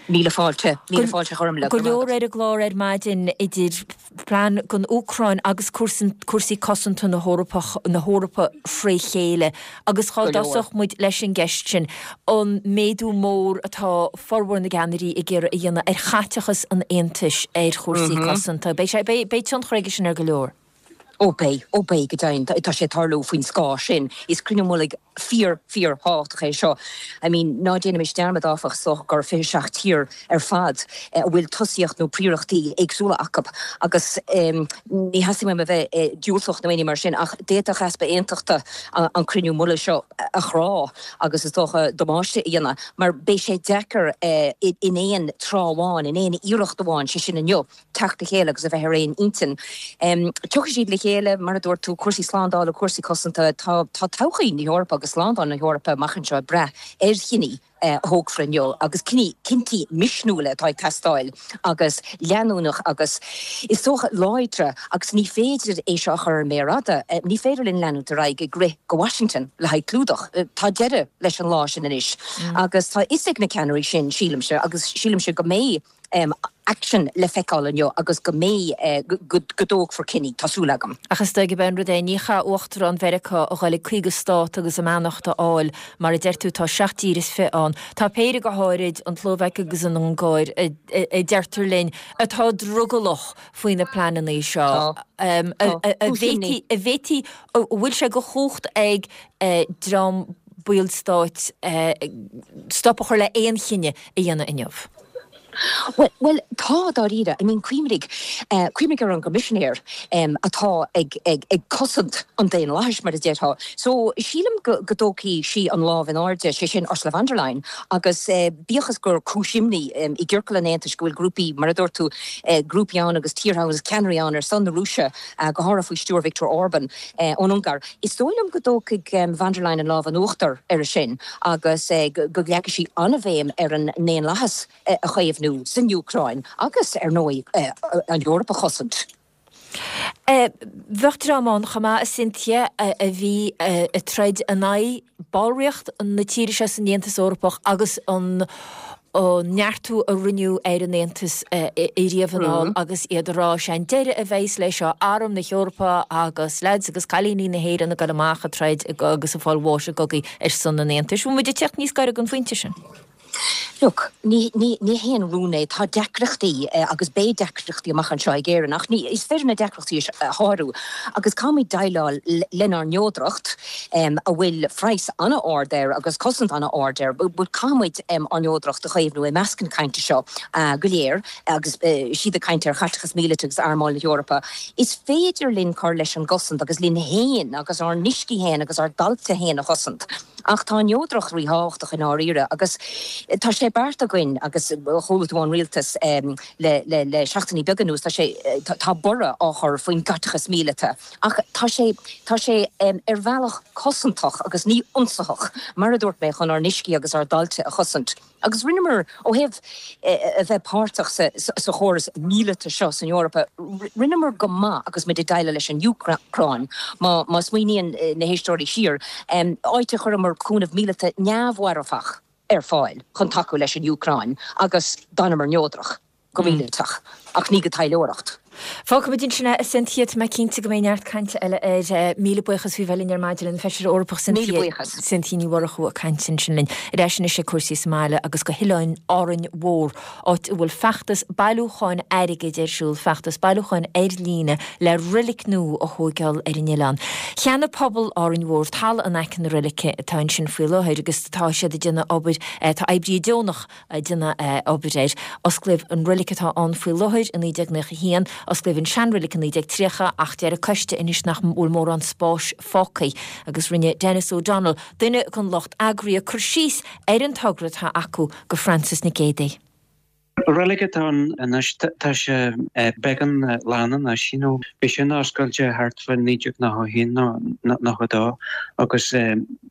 Míle fáilte, míle fáilte a Ghormlaith, go raibh maith agat. Go leor ar an gclár ar maidin idir plean don Úcráin agus cúrsaí cosanta na hEorpa fré chéile. Agus dhá dtosódh muid leis an gceist sin, an méadú mór atá formhór na gceannairí ag iarraidh a dhéanamh ar chaiteachas an Aontais ar chúrsaí cosanta. Beidh sé, beidh tionchar aige sin ar go leor. Ó beidh, ó beidh go deimhin. Tá sé ag tarlú faoin scáth sin. Is cruinniú mullaigh fíor, fíor thábhachtach é seo. I mean, ná déanaimis dearmad áfach, is dócha gur 27 tír ar fad a bhfuil tosaíocht nó príorachtaí éagsúla acu agus ní theastaíonn uaim a bheith diúltach nó aon ní mar sin ach d'fhéadfadh easpa aontachta an cruinniú mullaigh seo a chrá. agus is dócha damáiste a dhéanamh, mar beidh sé deacair in aon tráth amháin, in aon iarracht amháin, sé sin inniu, teacht le chéile agus a bheith ar aon intinn. Tiocfaidh siad le chéile, mar a dúirt tú, cúrsaí slándála, cúrsaí cosanta, tá todhchaí na hEorpa agus slándáil na hEorpa amach anseo ag brath ar chinní a thógfar inniu agus cinní, cinntí misniúla atá ag teastáil agus leanúnach agus is dócha láidre agus ní féidir é seo a chur ar an méar fhada. Ní féidir linn leanúint ar aghaidh ag rith go Washington le haghaidh clúdach. Tá deireadh leis an lá sin anois agus tá a fhios ag na ceannairí sin, sílimse, agus sílimse go mbeidh aicsean le feiceáil inniu agus go mbeidh, go dtógfar cinní, tá súil agam. Ach is dóigh gurb é an rud é, ní chaithfidh Uachtarán Mheiriceá a dhul ag 50 stát agus a mbeannacht a fháil, mar a deir tú, tá 7 dtír is fi ann. Tá péire go háirid, an tSlóvaic agus an Ungáir, a deirtear linn, atá drogallach faoi na pleananna seo. Tá. Tá. Cúis imní. An bhféadfaí, an bhfuil sé de chumhacht ag dream baill stáit stop a chur le aon chinneadh a dhéanamh inniu? Bhuel, bhuel, tá, dáiríre. I mean, cuimhnigh, cuimhnigh ar an gCoimisinéir atá ag, ag, ag cosaint an daonlathais, mar a déarfá. So, sílim go, go dtógfaidh sí an lámh in airde, sé sin Ursula von der Leyen, agus bíodh is gur cúis imní i gciorcal an Aontais go bhfuil grúpaí, mar a dúirt tú, grúpaí ann agus tíortha ann agus ceannairí ann ar son na Rúise, go háirithe faoi stiúir Viktor Orban ón Ungáir. Is dóigh liom go dtógfaidh von der Leyen an lámh in uachtar air sin agus go leagfaidh sí an-bhéim ar an ndaonlathas a chaomhnú san Úcráin agus, ar ndóigh, an Eoraip a chosaint. Bheadh dream ann chomh maith, a Cynthia, a bhí ag troid in aghaidh ballraíocht na tíre seo san Aontas Eorpach agus an neartú a rinneadh ar an Aontas ariamh anall agus iad ag rá, sé an deireadh a bheas leis seo, Arm na hEorpa agus leaids agus cailíní na hÉireann ag dul amach ag troid agus ag fáil bháis i gcogaí ar son an Aontais. Bhfuil muid ag teacht níos gaire don phointe sin? Look, ní, ní, ní haon rún é. Tá deacrachtaí agus beidh deacrachtaí amach anseo ag Éirinn ach ní, is féidir na deacrachtaí a shárú agus caithfimid déileáil lenár neodracht a bhfuil praghas an-ard air agus cosaint an-ard air but caithfimid ár neodracht a chaomhnú i measc na cainte seo go léir agus siad ag caint ar chaiteachas míleata agus armáil na hEorpa. Is féidir linn cur leis an gcosaint agus linn féin agus ár n-uiscí féin agus ár dtailte féin a chosaint. Ach tá an neodracht ríthábhachtach i ndáiríre agus tá sé beartaithe againn agus chuala tú ón rialtas le le seachtainí beaga anuas, tá sé, tá borradh á chur faoin gcaiteachas míleata ach tá sé, tá sé ar bhealach cosantach agus ní ionsaitheach, mar a dúirt mé, chun ár n-uiscí agus ár dtailte a chosaint. Agus rinneamar, ó thaobh a bheith páirteach sa chóras míleata seo san Eoraip, rinneamar go maith agus muid ag déileáil leis an Úcráin, má smaoiníonn na héisteoirí siar, áit a chuireamar cúnamh míleata neamh-mharfach ar fáil chun tacú leis an Úcráin agus d'fhanamar neodrach. go míleatach, ach ní go taidhleoireacht. Fágfaimid ansin é, a Cynthia. Tá mé cinnte go mbeidh neart cainte eile air. Míle buíochas faoi bheith linn ar maidin, an Feisire Eorpach Cynthia. Míle buíochas. Cynthia Ní Mhurchú ag caint ansin linn. Ar ais anois ag cúrsaí sa mbaile agus go hOileán Árainn Mhór, áit a bhfuil feachtas bailiúcháin airgid ar siúl, feachtas bailiúcháin ar líne le roilic nua a thóigeáil ar an oileán. Cheannaigh pobal Árainn Mhór talamh in aice na roilice atá ansin faoi láthair agus tá siad ag déanamh obair, tá oibrithe deonach ag déanamh obair air. Osclaíodh an roilic atá ann faoi láthair i 1991. Osclaíodh an seanroilic i 1930 ach deir an coiste anois nach bhfuil mórán spáis fágtha agus rinne Denis O'Donnell, duine den lucht eagraithe, cur síos ar an togra atá acu do Frances Nic Géadaigh. Reilig atá ann anois, tá sé beagán lán anois, you know. Bhí sin oscailte thart fá 1991 nó 92 agus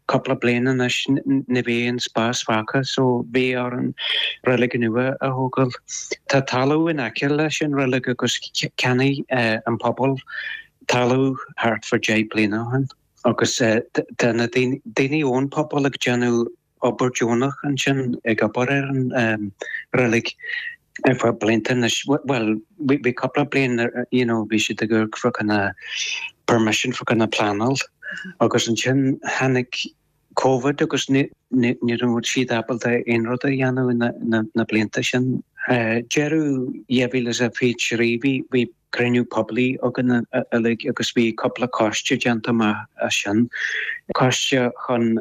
cúpla bliain anois ní bhí aon spás fágtha so bhí orainn reilig nua a thógáil. Tá talamh in aice leis an reilig agus cheannaigh an pobal talamh thart fá 10 bliana ó shin agus tá na daoine ón pobal ag déanamh obair deonach ansin ag obair ar an reilig ar feadh blianta anois. Bhuel, bhí cúpla bliain you know bhí siad ag amharc fá choinne permission fá choinne pleanáil agus ansin tháinig Covid agus ní raibh siad ábalta aon rud a dhéanamh na blianta sin. Deireadh 2023 bhí cruinniú poiblí againn uilig agus bhí cúpla coiste déanta amach as sin, coiste chun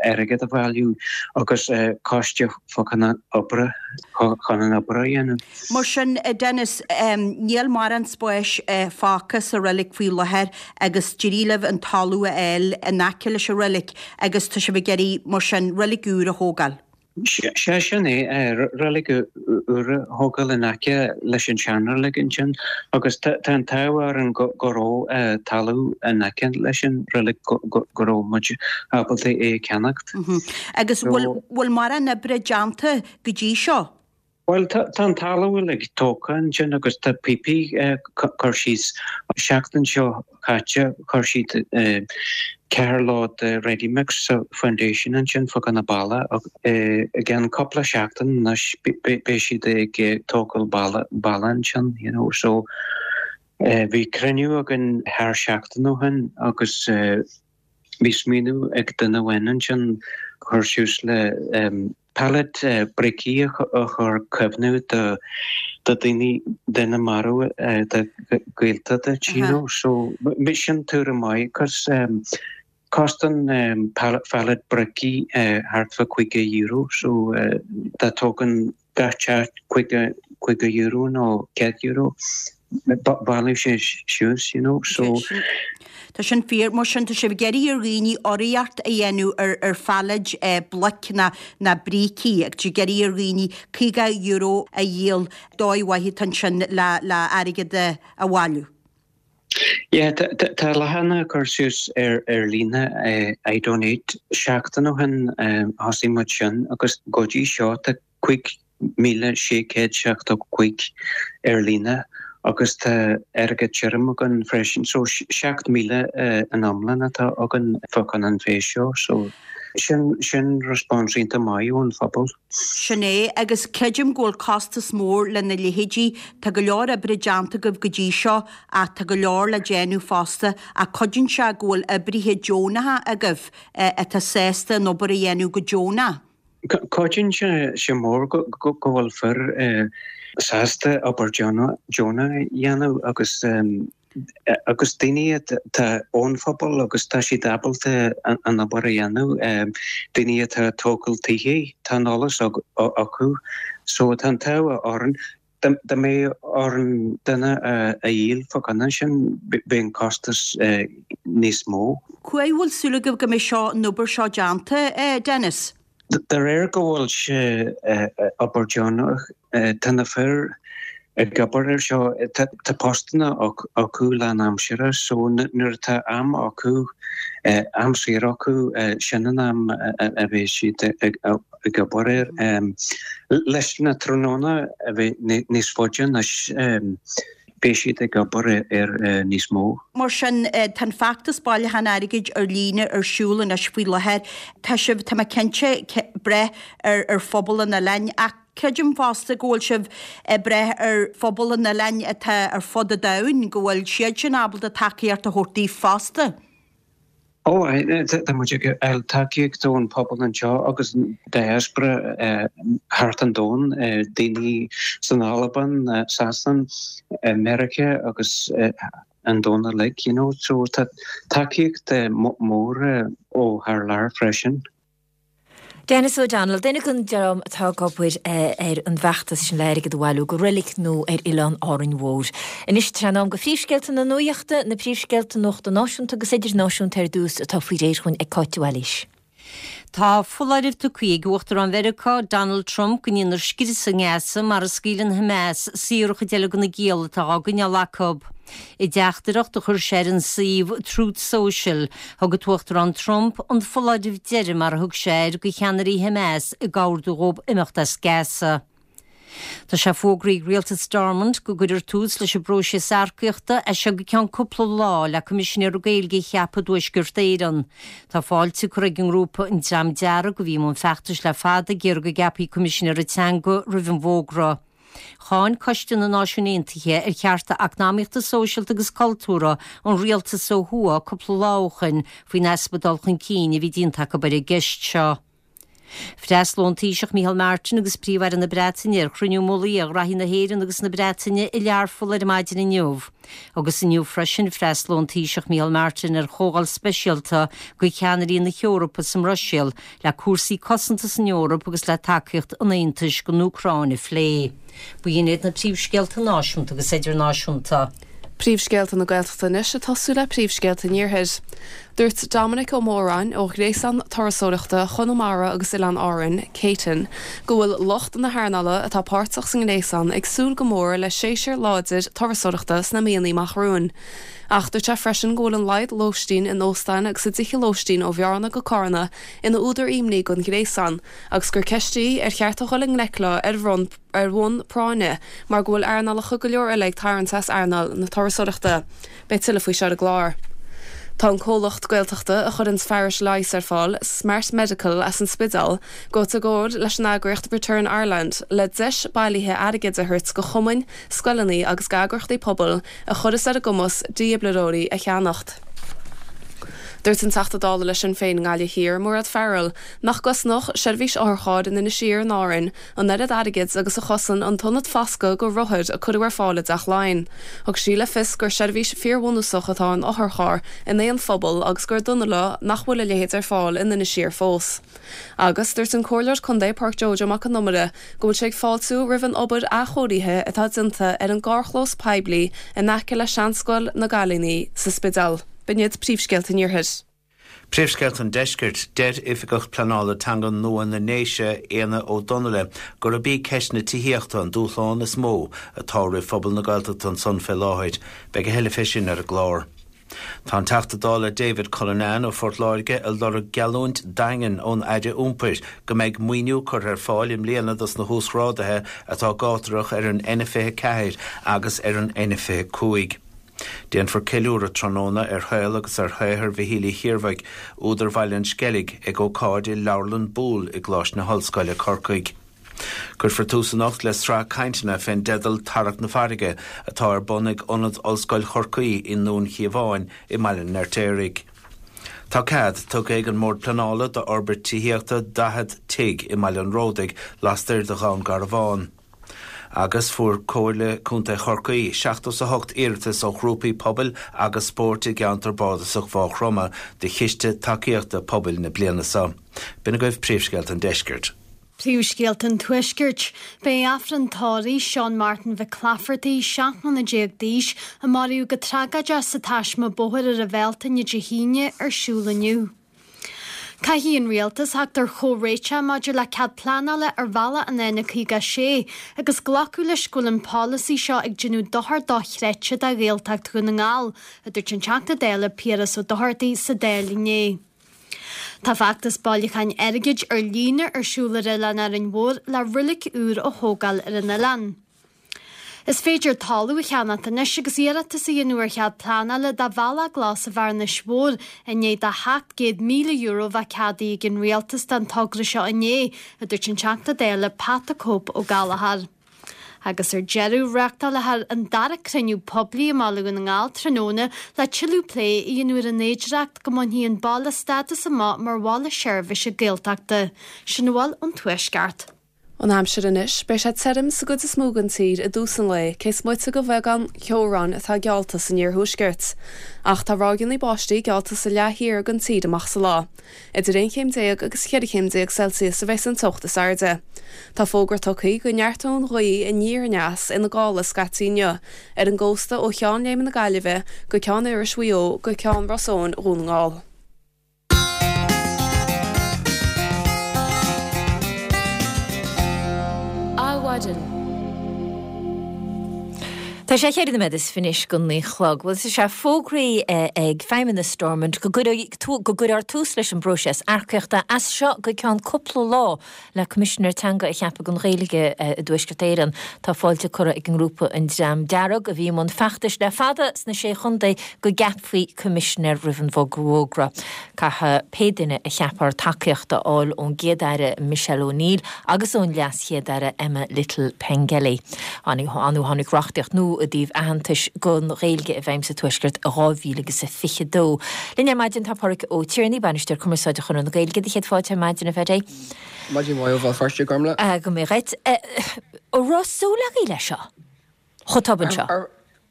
airgead a bhailiú agus coiste fá choinne oibre, chun an obair a dhéanamh. Mar sin, a Dennis, níl mórán spáis fágtha sa reilig faoi láthair agus d'éirigh libh an talamh a fháil in aice leis an reilig agus tá sibh ag iarraidh, mar sin, reilig úr a thógáil. Sea, sin é, reilig úr a thógáil in aice leis an seanreilig ansin agus tá an t-ádh orainn go raibh talamh in aice leis an reilig go raibh muid ábalta é a cheannacht. Agus bhfuil mórán oibre déanta go dtí seo? Bhuel, tá an talamh uilig tógtha ansin agus tá píopaí curtha síos. An seachtain seo caite chuir siad ceathair load de ready mix sa foundation ansin fá choinne balla. I gceann cúpla seachtain anois beidh siad ag tógáil balla ansin, you know. So bhí cruinniú againn thar seachtain ó shin agus bhí smaoineamh ag duine amháin ansin cur suas le pallet bricí a chur cuimhneamh do daoine, duine marbh do gaolta duit, you know. So sin tuairim maith cos costann pallet bricí thart fá €50 so dá dtógann gach teach €50 nó €100, baileoidh sé suas, you know, so. Tá sin fíor. Mar sin, tá sibh ag iarraidh ar dhaoine urraíocht a dhéanamh ar ar phallaeid bloic ná ná brící agus ag iarraidh ar dhaoine €50 a dhíol dóigh mhaith atá ansin le le airgead a bhailiú. Yeah, tá leathanach curtha suas ar ar líne iDonate seachtain ó shin thosaigh muid sin agus go dtí seo tá 5,675 ar líne. Agus tá airgead tirim againn freisin, so 7,000 in iomlán atá againn fá choinne an féis seo, so sin, sin response iontach maith ón phobal. Sin é, agus creidim go bhfuil costas mór lena leithéidí. Tá go leor oibre déanta agaibh go dtí seo ach tá go leor le déanamh fosta ach cuidíonn sé go bhfuil oibrithe deonacha agaibh atá sásta an obair a dhéanamh go deonach. Cuidíonn sé mór go bhfuil fir sásta obair deonach a dhéanamh agus agus daoine atá ón phobal agus tá siad ábalta an obair a dhéanamh, daoine atá ag tógáil tithe, tá an eolas acu so tá an t-ádh orainn. Dá mbeadh orainn duine a dhíol fá choinne sin, bheadh an costas níos mó. Cá huair a bhfuil súil agaibh go mbeidh seo, an obair seo déanta, Dennis? De réir go bhfuil sé obair deonach, tá na fir ag obair ar seo, tá postanna acu lán-aimsire so nuair atá am acu, am saor acu, sin an am a bheidh siad ag ag obair air. Leis na tráthnóna a bheith níos faide anois, beidh siad ag obair air níos mó. Mar sin, tá an feachtas bailiúcháin airgid ar líne ar siúl anois faoi láthair. Tá sibh, tá mé cinnte, ag brath ar phobal an oileáin ach creidim fosta go bhfuil sibh ag brath ar phobal an oileáin atá ar fud an domhain, go bhfuil siad sin ábalta tacaíocht a thabhairt daoibh fosta. Ó, tá muid ag fáil tacaíocht ón pobal anseo agus diaspora thart an domhan, daoine san Albain, Sasain, Meiriceá agus an domhan uilig, you know. So tá tacaíocht mór ó thar lear freisin. Denis O'Donnell, duine den dream atá ag obair ar an bhfeachtas sin le airgead a bhailiú do reilig nua ar Oileán Árainn Mhór. Anois tá sé in am do phríomhscéalta na nuachta, na príomhscéalta nuachta náisiúnta agus idirnáisiúnta ar dtús atá faoi réir chugainn ag Cáit de Bhailís. Tá foláireamh tugtha ag Uachtarán Mheiriceá, Donald Trump, go ndéanfar scrios i nGaza mara scaoileann Hamas saor an chuid eile de na gialla atá á gcoinneáil acu. I dteachtaireacht a chuir sé ar an suíomh Truth Social, Thug an tUachtarán Trump an foláireamh deiridh, mar a thug sé air, do cheannairí Hamas ag ordú dhóibh imeacht as Gaza. Tá sé fógraithe ag rialtas Stormont go gcuirfear tús leis an bpróiseas earcaíochta as seo go ceann cúpla lá le Coimisinéir Gaeilge a cheapadh i dTuaisceart Éireann. Tá fáilte curtha ag an ngrúpa An Dream Dearg, a bhí i mbun feachtais le fada ag iarraidh go gceapfaí Coimisinéir Teanga roimh an bhfógra. Cháin Coiste na Náisiún Aontaithe ar Chearta Eacnamaíochta, Sóisialta agus Cultúrtha an rialtas ó thuaidh cúpla lá ó shoin faoin easpa dul chun cinn a bhí déanta acu ar an gceist seo. Freastalóidh an Taoiseach Micheál Martin agus Príomh-Aire na Breataine ar chruinniú mullaigh ag Airí na hÉireann agus na Breataine i Learpholl ar maidin inniu. Agus inniu freisin freastalóidh an Taoiseach Micheál Martin ar chomhdháil speisialta do cheannairí na hEorpa sa mBruiséil le cúrsaí cosanta san Eoraip agus le tacaíocht an Aontais don Úcráin a phlé. B'in iad na príomhscéalta náisiúnta agus idirnáisiúnta. Príomhscéalta na Gaeltachta anois ag tosú le príomhscéalta an Iarthair. Dúirt Dominic Ó Móráin ó Ghréasán Turasóireachta Chonamara agus Oileáin Árann, Céitin, go bhfuil lucht na hearnála atá páirteach sa ngréasán ag súil go mór le séasúr láidir turasóireachta sna míonna amach romhainn. Ach dúirt sé freisin go bhfuil an laghad lóistín in óstáin agus i dtithe lóistín ó Bhearna go Cárna ina údar imní don ghréasán agus gur ceist í ar cheart a dhul i ngleic leo ar bhonn ar bhonn práinne mar go bhfuil earnálacha go leor eile ag tarraingt as earnáil na turasóireachta. Beidh tuilleadh faoi seo ar an gclár. Tá an comhlacht Gaeltachta a chuireanns fearais leighis ar fáil, Smart Medical as an Spidéal, gaibhte i gcomhar leis an eagraíocht Return Ireland le deis bailithe airgid a thabhairt go chumainn, scoileanna agus d'eagraíochtaí pobail a chuirfeas ar a gcumas dífhibrileoirí a cheannacht. Dúirt an Teachta Dála le Sinn Féin i nGaillimh Thiar, Mairéad Farrell, nach gcosnódh seirbhís otharchairr in Inis Oírr in Árainn an oiread airgid agus a chosain an t-ionad foscaidh do rothair a cuireadh ar fáil i dTeach Laighean. Thug sí le fios gur seirbhís fíorbhunúsach atá in otharcharr in aon phobal agus gur dona leo nach bhfuil a leithéid ar fáil in Inis Oírr fós. Agus dúirt an Comhairleoir Contae Páirc Joe Joe Mac an Iomaire go bhfuil sé ag fáiltiú roimh an obair athchóirithe atá déanta ar an gcarrchlós poiblí in aice le Seanscoil na gCailíní sa Spidéal. B'in iad príomhscéalta an Iarthair. Príomhscéalta an Deiscirt, Deir Oifigeach Pleanála Teanga nua na nDéise, Éanna Ó Donnaile, gurb í ceist na tithíochta an dúshlán is mó atá roimh phobal na Gaeltachta ansan fé láthair. Beidh a thuilleadh fé sin ar an gclár. Tá an Teachta Dála David Cullinane ó Phort Láirge ag lorg geallúint daingean ón Aire Iompair go mbeidh maoiniú curtha ar fáil i mbliana dos na huasghráduithe atá gátarach ar an N24 agus ar an N25. Déanfar ceiliúradh tráthnóna ar shaol agus ar shaothar Mhichíl Uí Chiarmhaigh, údar Bhaile an Sceilg, ag ócáid i Leabharlann Boole i gColáiste na hOllscoile, Corcaigh. Cuirfear tús anocht le sraith cainteanna fén dteideal 'Tarrac na Farraige' atá ar bun ag Ionad Ollscoil Chorcaí i nDún Chíomháin i mBaile an Fheirtéaraigh. Tá cead tugtha ag an mBord Pleanála d'fhorbairt tithíochta 40 tigh i mBaile an Ródaigh lastoir de Dhún Garbhán. Agus fuair Comhairle Contae Chorcaí 78 iarratas ó ghrúpaí pobail agus spóirt i gceantar bardasach Mhaigh Chromtha do Chiste Tacaíochta Pobail na bliana seo. B'in agaibh príomhscéalta an deiscirt. Príomhscéalta an Tuaiscirt. Beidh Aifreann tórraimh Seán Martin Mhic Laifeartaigh, 17 mbliana d'aois, a maraíodh go tragóideach sa taisme bóthair ar an Bhealtaine Dé hAoine, ar siúl inniu. Caithfidh an Rialtas theacht ar chomhréiteach maidir le cead pleanála ar bhealach an N56 agus glacadh leis go bhfuil an polasaí seo ag déanamh dochar dochreidte do Ghaeltacht Dhún na nGall, a dúirt an Teachta Dála Piaras Ó Dochartaigh sa Dáil inné. Tá feachtas bailiúcháin airgid ar líne ar siúl ar Oileán Árainn Mhór le roilig úr a thógáil ar an oileán. Is féidir talamh a cheannacht anois agus iarratas a dhéanamh ar chead pleanála do bhealach glas i bhFearnais Mhór i ndiaidh do €700,000 a bheith ceadaithe ag an Rialtas don togra seo inné, a dúirt an Teachta Dála Pat the Cope Ó Gallchóir. Agus ar deireadh, reáchtálfar an dara cruinniú poiblí i mBaile Dhún na nGall tráthnóna le tuilleadh plé a dhéanamh ar an fhéidearthacht go mbainfidh an baile stádas amach mar bhaile seirbhíse Gaeltachta. Sin a bhfuil ón Tuaisceart. An aimsir anois, beidh sé tirim sa gcuid is mó den tír i dtús an lae, cé is moite de bheagán ceobhráin atá geallta san iarthuaisceart. Ach tá ráigeanna báistí geallta sa leath thiar den tír amach sa lá. Idir 11 chéim agus 14 chéim Celsius a bheas an teocht is airde. Tá fógra tugtha go neartóidh an ghaoth aniar aneas ina gála scaití inniu, ar an gcósta ó Cheann Léime na Gaillimhe go Ceann Iorrais Mhaigh Eo go Ceann Ros Eoghain Dhún na nGall. Adhmhaidin. Tá sé cheithre nóiméad is fiche anois go naoi a chlog. Bhuel, tá sé fógraithe ag Feidhmeannas Stormont go gcuirfear tús leis an bpróiseas earcaíochta as seo go ceann cúpla lá le Coimisinéir Teanga a cheapadh don Ghaeilge i dTuaisceart Éireann. Tá fáilte curtha ag an ngrúpa An Dream Dearg, a bhí i mbun feachtais le fada sna Sé Chontae, go gceapfaí Coimisinéir roimh an bhfógra. Caithfidh pé duine a cheapfar tacaíocht a fháil ón gCéad-Aire Michelle O'Neill agus ón LeasChéad-Aire Emma Little Pengelly. Tháinig reachtaíocht nua i dtaobh aitheantais don Ghaeilge i bhfeidhm sa Tuaisceart i 2022. Linn ar maidin tá Pádraig Ó Tiarnaigh, Bainisteoir Cumarsáide Chonradh na Gaeilge. Do chéad fáilte ar maidin, a Phaddy. Maidin mhaith ó Bhéal Feirste, a Ghormfhlaith. Go mbeidh dhuit. An raibh súil agaibh leis seo chomh tobann seo?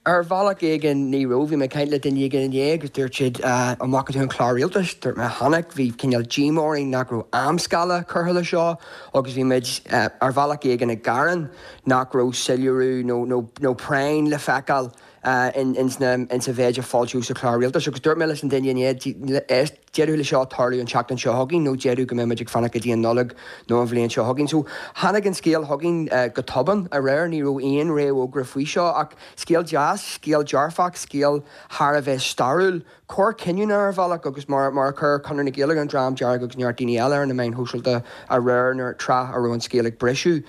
Ar bhealach éigin ní raibh. Bhí mé ag caint le duine éigin inné agus dúirt siad an bhfaca tú an clár rialtais? Dúirt mé chonaic. Bhí cineál díomá orainn nach raibh amscála curtha le seo agus bhí muid ar bhealach éigin ag gearán nach raibh soiléiriú nó nó nó práinn le feiceáil ins na ins an mhéid a foilsíodh sa chlár rialtais agus dúirt mé leis an duine inné éist D'fhéadfadh le seo tarlú an tseachtain seo chugainn nó d'fhéadfadh go mbeidh muid ag fanacht go dtí an Nollaig nó an bhliain seo chugainn. So, tháinig an scéal chugainn go tobann aréir, ní raibh aon réamhfhógra faoi seo ach scéal deas, scéal dearfach, scéal thar a bheith stairiúil, cor cinniúnach ar bhealach agus mar mar a chuir Conradh na Gaeilge, an Dream Dearg agus neart daoine eile ar na meáin shóisialta aréir nuair tráth a raibh an scéal ag briseadh.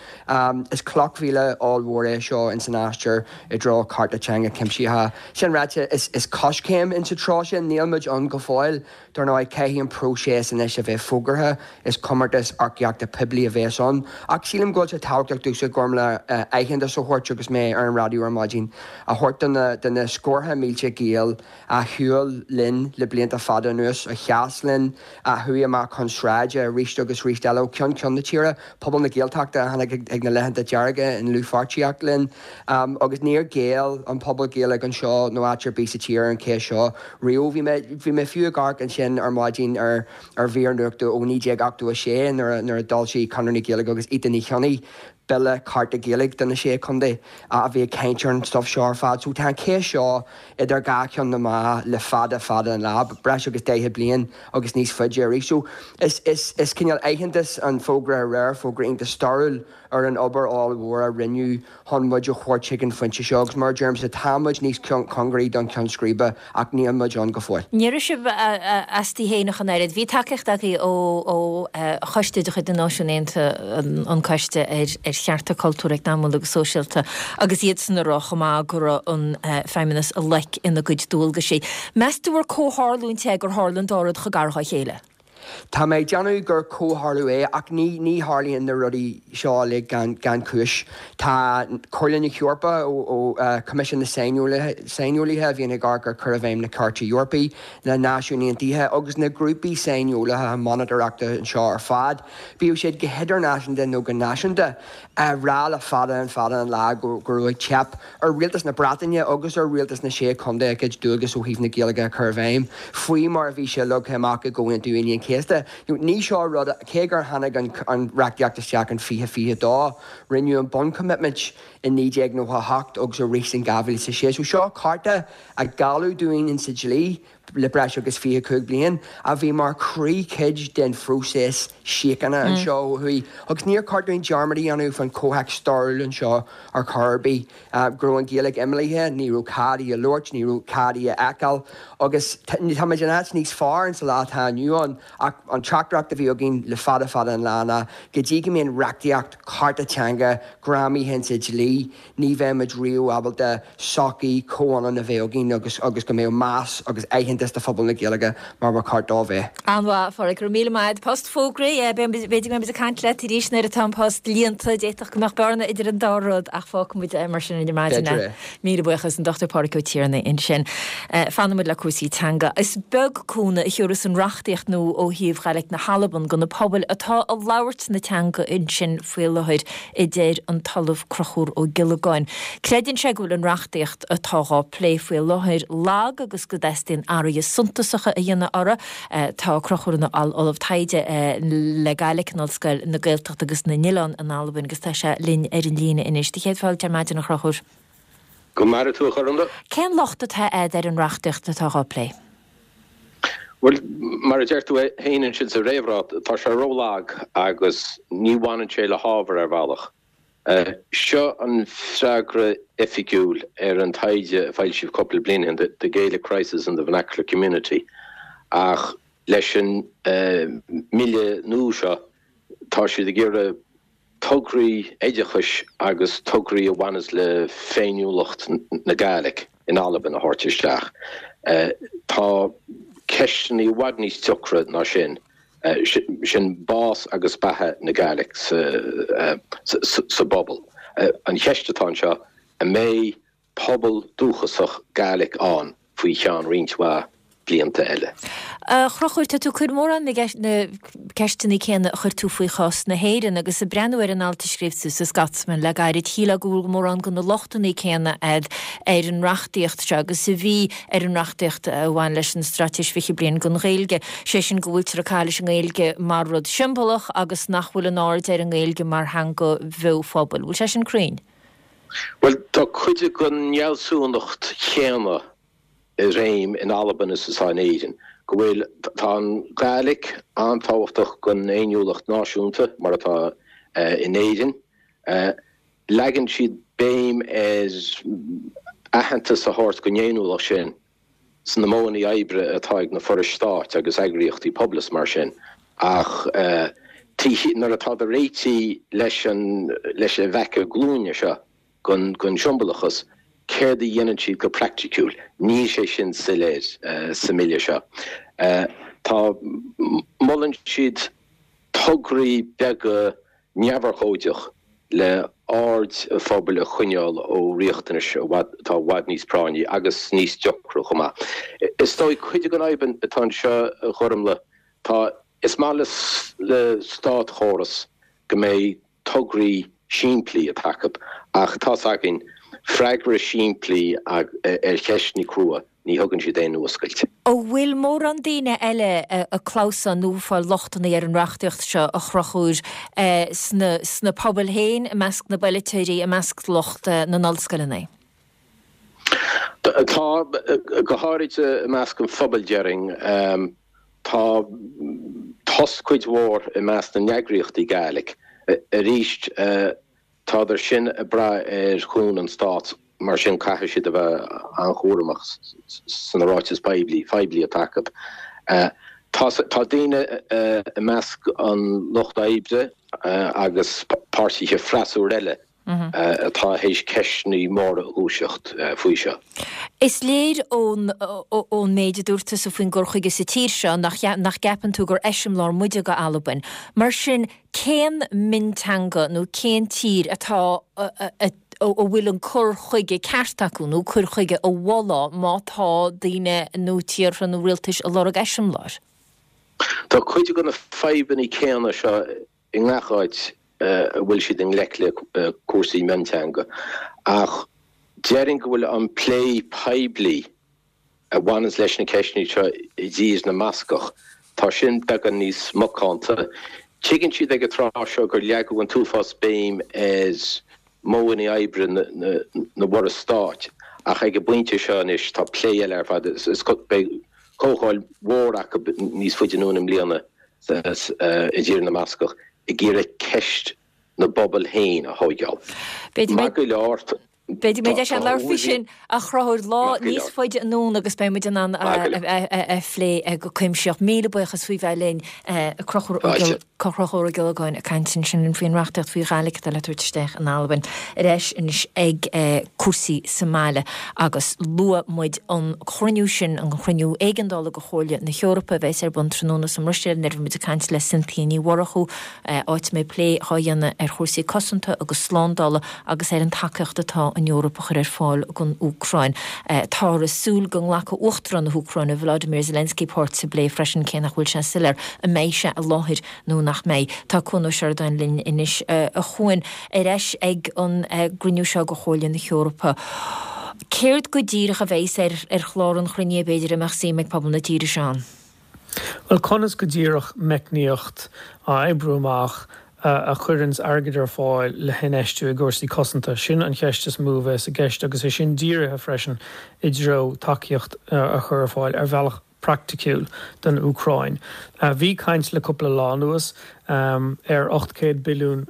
Is cloch mhíle ollmhór é seo ins an aistear i dtreo cearta teanga cuimsitheacha. Sin ráite, is coiscéim insa treo sin. Níl muid ann go fóill. Dar ndóigh, caithfidh an próiseas anois a bheith fógartha. Is comórtas earcaíochta poiblí a bheas ann. Ach sílim go bhfuil sé tábhachtach domhsa, Gormfhlaith, aitheantas a thabhairt agus mé ar an raidió ar maidin, a thabhairt do na scórtha mílte Gael a shiúil linn le blianta fada anuas, a sheas linn, a chuaigh amach chun sráide arís agus arís eile ó cheann ceann na tíre, pobal na Gaeltachta a tháinig ag na Laethanta Dearga i ndlúthpháirtíocht linn. Agus níor ghéill an pobal Gaeilge anseo nó áit ar bith sa tír ar an cheist seo riamh. Bhí mé, bhí mé fiú ag amharc ansin ar maidin ar ar mhír nuachta ó 1986 nuair a, nuair a d'fhoilsigh Conradh na Gaeilge agus Ita Ní Chionnaith. Bille Cearta Gaeilge do na Sé Chontae a bhí ag caint ar an stuif seo ar fad. So tá an cheist seo idir dhá cheann na meá le fada fada an lá, breis agus 40 bliain agus níos faide arís. So is is is cineál aitheantas an fógra aréir, fógra iontach stairiúil ar an obair ollmhór a rinneadh chun muid a thabhairt chuig an phointe seo agus mar a deirimse tá muid níos cóngaraí don cheann scríbe ach níl muid ann go fóill. Ní raibh sibh astaibh féin ach an oiread. Bhí tacaíocht agaibh ó choiste de chuid na Náisiún Aontaithe, an Coiste ar Chearta Cultúrtha, Eacnamaíola agus Sóisialta, agus iadsan ag rá chomh maith go raibh an Feidhmeannas i loic ina gcuid dualgaisí. Meas tú ar comhtharlúint é gur tharla an dá rud chomh gar dhá chéile? Tá mé ag déanamh gur comhtharlú é ach ní ní tharlaíonn na rudaí seo uilig gan gan cúis. Tá Comhairle na hEorpa ó Choimisiún na Saineolaithe saineolaithe a bhíonn ag amharc ar chur i bhfeidhm na Cairte Eorpaí, na Náisiúin Aontaithe agus na grúpaí saineolaithe monatóireachta anseo ar fad, bíodh siad go hidirnáisiúnta nó go náisiúnta, á rá le fada an fada an lá go raibh ag teip ar Rialtas na Breataine agus ar Rialtas na Sé Chontae a gcuid dualgas ó thaobh na Gaeilge a chur i bhfeidhm faoi mar a bhí sé leagtha amach i gComhaontú Aoine an Chéasta. Ní seo rud, cé gur tháinig an reachtaíocht isteach in 2022, rinneadh an bunchoimitmint i 1998 agus arís in 2006. So seo cearta a gealladh dúinn insa dlí le breis agus 25 bliain, a bhí mar chroíchuid den phróiseas síochána anseo ó thuaidh. Agus níor cheart dúinn dearmad a dhéanamh faoin chomhthéacs stairiúil anseo ar chor ar bith, go raibh an Ghaeilge imeallaithe, ní raibh cead í a labhairt, ní raibh cead í a fheiceáil. Agus tá muid in áit níos fearr insa lá atá inniu ann, ach an teachtaireacht a bhí againn le fada fada an lá ná go dtí go mbíonn reachtaíocht, cearta teanga greamaithe insa dlí, Ní bheidh muid riamh ábalta sochaí chomhionann a bheith againn agus agus go mbeadh meas agus aitheantas do phobal na Gaeilge mar ba cheart dó a bheith. An-mhaith, a Phádraig, go raibh míle maith agat. Post fógraithe, b'fhéidir go mbeidh muid ag caint leat arís nuair atá an post líonta. D'fhéadfadh go mbeadh bearna idir an dá rud ach fágfaidh muid é mar sin ar maidin. B'fhéidir é. Míle buíochas, an Dr Pádraig Ó Tiarnaigh ansin. Fanfaidh muid le cúrsaí teanga. Is beag cúnamh a thiúrfas an reachtaíocht nua ó thaobh Ghaidhlig na hAlban do na pobail atá ag labhairt na teanga ansin faoi láthair. a deir an tOllamh Conchúr Ó Giollagáin. Creideann sé go bhfuil an reachtaíocht atá dhá plé faoi láthair lag agus go dteastaíonn athruithe suntasacha a dhéanamh uirthi. Tá Conchúr ina Ollamh Taighde le Gaidhlic in Ollscoil na Gaeltachta agus na nOileán in Albain agus tá sé linn ar an líne anois. Do chéad fáilte ar maidin, a Chonchúir. Go maire tú, a Ghormfhlaith. Cén locht atá a'd ar an reachtaíocht atá dhá plé? Bhuel, mar a deir tú féin ansin sa réamhrá, tá sé ró-lag agus ní bhaineann sé le hábhar ar bhealach. Seo an freagra oifigiúil ar an taighde a foilsíodh cúpla bliain ó shin, The Gaelic Crisis in the Vernacular Community, ach leis an mbille nua seo tá siad ag iarraidh tograí oideachais agus tograí a bhaineas le féiniúlacht na Gàidhlig in Albain a thabhairt isteach. Tá ceisteanna i bhfad níos deacra ná sin, sin bás agus beatha na Gàidhlig sa bpobal. An cheist atá anseo, an mbeidh pobal dúchasach Gàidhlig ann faoi cheann roinnt mhaith blianta eile. A Chonchúir, tá tú ag cur mórán na ceisteanna céanna a chuir tú faoi chás na hÉireann agus ag breathnú ar an alt a scríobh tú sa Scotsman le gairid, shílfeá go bhfuil mórán de na lochtanna céanna a'd ar an reachtaíocht seo agus a bhí ar an reachtaíocht a bhain leis an Straitéis 20 Bliain don Ghaeilge, sé sin go bhfuiltear ag caitheamh leis an nGaeilge mar rud siombalach agus nach bhfuil an aird ar an nGaeilge mar theanga bheo phobail. Bhfuil sé sin cruinn? Bhuel, tá cuid den fhealsúnacht chéanna i réim in Albain is atá in Éirinn, go bhfuil, tá an Ghàidhlig an-tábhachtach don fhéiniúlacht náisiúnta, mar atá in Éirinn. Leagann siad béim ar aitheantas a thabhairt don fhéiniúlacht sin. sna modhanna oibre atá ag na forais stáit agus eagraíochtaí pobail is mar sin ach nuair atá réitithe leis an leis an bhfeaca glúine seo den siombalachas, céard a dhéanann siad go praiticiúil? Níl sé sin soiléir sa mbille seo. Tá, molann siad tograí beaga neamhurchóideach le aird an phobail a choinneáil ó riachtanais atá i bhfad níos práinní agus níos deacra chomh maith. Is dóigh cuid den fhadhb atá anseo, a Ghormlaith, tá, is maith le státchóras go mbeidh tograí simplí atá acu ach tá's againn, freagra simplí ar cheisteanna crua. Ní thugann siad aon fhuascailt. An bhfuil mórán daoine eile ag clamhsán nó ag fáil lochtanna ar an reachtaíocht seo, a Chonchúir, sna pobail féin, i measc na bpolaiteoirí, i measc lucht na n-ollscoileanna? Tá, go háirid i measc an phobail, déarfainn. Tá tost cuid mhór i measc na n-eagraíochtaí Gaelic. Arís, Tádar sin ag brath ar chúnamh an Stáit, mar sin caithfidh siad a bheith an-chúramach sna ráitis poiblí phoiblí atá acu. Tá tá daoine i measc an lucht oibre agus páirtithe freasúra eile atá théis ceisteanna móra a dhúiseacht faoi seo. Is léir ón ón méid a dúirt tusa faoin gcur chuige sa tír seo nach nach gceapann tú gur eiseamláir muide go Albain. Mar sin, Cén mionteanga nó cén tír atá a bhfuil an cur chuige ceart acu nó cur chuige a mholfá má tá daoine nó tíortha nó rialtais ag lorg eiseamláir? Tá cuid de na fadhbanna céanna seo i ngach áit a bhfuil siad i ngleic le cúrsaí mionteanga ach déarfainn go bhfuil an plé poiblí a bhaineanns leis na ceisteanna seo i dTír na mBascach, tá sin beagán níos macánta. Tuigeann siad ag an tráth seo gur leagadh an t-uafás béim ar mhodhanna oibre na bhforas stáit, ach ag an bpointe seo anois tá plé eile ar fad, beidh comhdháil mhór acu níos faide anonn i mbliana i dTír na mBascach ag iarraidh ceist na bpobal féin a thóigeáil. Maith go leor. B'fhéidir go mbeidh deis againn labhairt faoi sin a Chonchúir lá níos faide anonn agus beidh muid in ann a phlé go cuimsitheach. Míle buíochas faoi bheith linn, Conchúr Ó Giollagáin ag caint ansin faoin reachtaíocht faoi Ghàidhlig atá le tabhairt isteach in Albain. Ar ais anois ag cúrsaí sa mbaile agus luaigh muid an cruinniú sin, an cruinniú éigeandála de Chomhairle na hEorpa a bheas ar bun tráthnóna sa mBruiséil nuair a bhí muid ag caint le Cynthia Ní Mhurchú, áit a mbeidh plé dhá dhéanamh ar chúrsaí cosanta agus slándála agus ar an tacaíocht atá an Eoraip a chur ar fáil don Úcráin. Táthar ag súil go nglacfaidh Uachtarán na hÚcráine, Volodymyr Zelensky, páirt sa bplé freisin, cé nach bhfuil sé soiléir an mbeidh sé i láthair nó nach mbeidh. Tá Cuan Ó Seireadáin linn anois. A Chuain, ar ais ag an gcruinniú seo de Chomhairle na hEorpa. Céard go díreach a bheas ar chlár an chruinnithe, b'fhéidir, a mbeadh suim ag pobal na tíre seo ann? Bhuel, conas go díreach meicníocht a oibriú amach a chuireanns airgead ar fáil le hinfheistiú i gcúrsaí cosanta? Sin an cheist is mó a bheas i gceist agus é sin dírithe freisin i dtreo tacaíocht a chur ar fáil ar bhealach praiticiúil don Úcráin. Bhí caint le cúpla lá anuas ar €800 billiún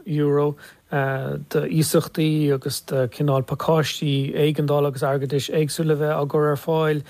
d'iasachtaí agus de chineál pacáistí éigeandála agus airgeadais éagsúla a bheith á gcur ar fáil.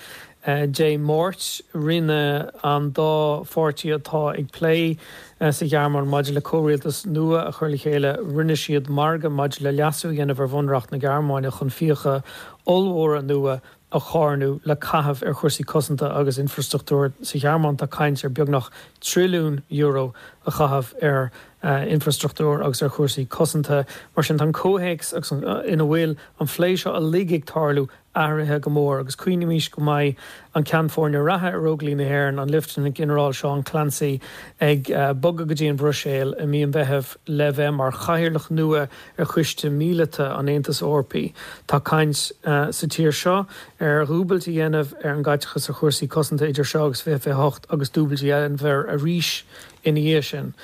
Dé Máirt, rinne an dá pháirtí atá ag plé sa Ghearmáin maidir le comhrialtas nua a chur le chéile, rinne siad margadh maidir le leasú a dhéanamh ar bhunreacht na Gearmáine chun fiacha ollmhóra nua a charnadh le caitheamh ar chúrsaí cosanta agus infreastruchtúir sa Ghearmáin. Tá caint ar beagnach trilliún euro a chaitheamh ar infreastruchtúr agus ar chúrsaí cosanta. Mar sin, tá an comhthéacs agus ina bhfuil an phlé seo uilig ag tarlú athraithe go mór agus cuimhnímis go mbeidh an Ceann Foirne reatha ar Óglaigh na hÉireann, an Lieutenant-Ginearál Seán Clancy, ag bogadh go dtí an Bhruiséil i mí an Mheithimh le bheith mar chathaoirleach nua ar Choiste Míleata an Aontais Eorpaigh. Tá caint sa tír seo ar dhúbailt a dhéanamh ar an gcaiteachas ar chúrsaí cosanta idir seo agus 2028 agus dúbailt a dhéanamh air arís ina dhiaidh sin.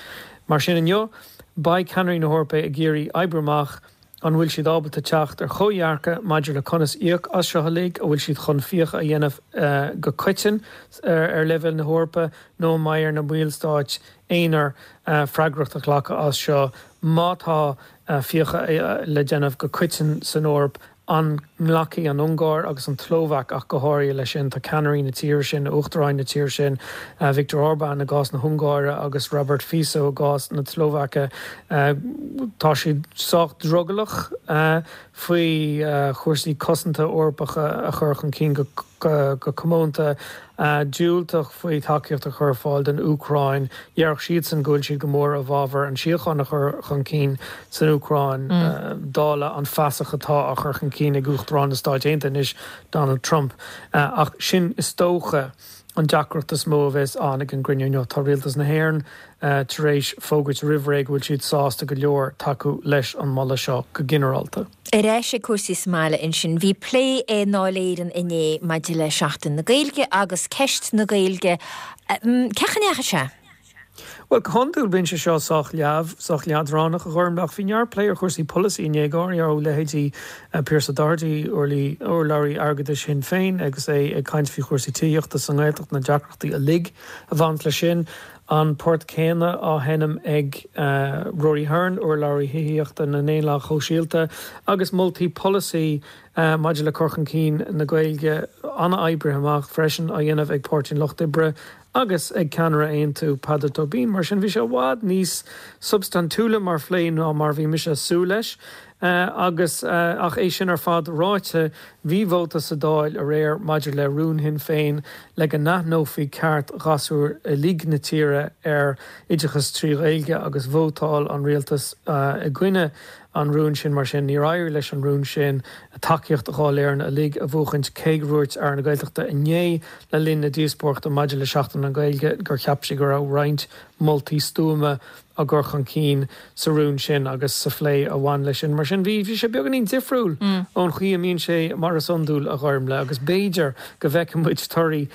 Mar sin inniu, beidh ceannairí na hEorpa ag iarraidh oibriú amach an bhfuil siad ábalta teacht ar chomhdhearcadh maidir le conas íoc as seo uilig, an bhfuil siad chun fiacha a dhéanamh go coiteann ar leibhéal na hEorpa nó an mbeidh ar na ballstáit aonair freagracht a ghlacadh as seo. Má tá fiacha le déanamh go coiteann san Eoraip, an nglacfaidh an Ungáir agus an tSlóvaic ach go háirithe leis sin? Tá ceannairí na tíre sin, uachtaráin na tíre sin, Viktor Orbán i gcás na hUngáire agus Robert Fico i gcás na Slóvaice, tá siad sách drogallach faoi chúrsaí cosanta Eorpacha a chur chun cinn go comónta, diúltach faoi thacaíocht a chur ar fáil don Úcráin. Déarfadh siadsan go bhfuil siad go mór i bhfabhar an síocháin a chur chun cinn san Úcráin, dála an fasach atá á chur chun cinn ag Uachtarán na Stáit Aontaithe anois, Donald Trump. Ach sin, is dócha, an deacracht is mó a bheas ann ag an gcruinniú inniu. Tá Rialtas na hÉireann tar éis fógairt roimh ré go bhfuil siad sásta go leor tacú leis an moladh seo go ginearálta. Ar ais ag cúrsaí sa mbaile ansin, bhí plé i nDáil Éireann inné maidir le Seachtain na Gaeilge agus ceist na Gaeilge. Cén chaoi a ndeachaigh sé? Bhuel, go hiondúil bíonn sé seo sách leamh, sách leadránach, a Ghormlaith, ach bhí neart plé ar chúrsaí polasaí inné, go háirithe ó leithéidí Pearse Doherty, urlabhraí airgeadais Shinn Féin, agus é ag caint faoi chúrsaí tithíochta sa nGaeltacht, na deacrachtaí uilig a bhaineanns leis sin. An port céanna á sheinm ag Rory Hearne, urlabhraí thithíochta na nDaonlathach Shóisialta, agus moltaí polasaí maidir le cur chun cinn na Gaeilge an-oibrithe amach freisin á dhéanamh ag Páirtí an Lucht Oibre agus ag ceannaire Aontú, Peadar Tóibín. Mar sin, bhí sé i bhfad níos substaintiúla mar phlé ná mar a bhí mise ag súil leis. Agus ach é sin ar fad ráite, bhí vóta sa Dáil aréir maidir le rún Shinn Féin le go n-aithneofaí ceart ghasúir uilig na tíre ar oideachas trí Ghaeilge agus vótáil an rialtas i gcoinne an rúin sin. Mar sin, níor éirigh leis an rún sin tacaíocht Dháil Éireann uilig a bhuachaint cé gur dhúirt Aire na Gaeltachta inné le linn na díospóireachta maidir le Seachtain na Gaeilge gur cheap sé go raibh roinnt moltaí stuama á gcur chun cinn sa rún sin agus sa phlé a bhain leis sin. Mar sin, bhí sé beagáinín difriúil ón chaoi a mbíonn sé mar is iondúil, a Ghormlaith, agus b'fhéidir go bhfeicfidh muid torthaí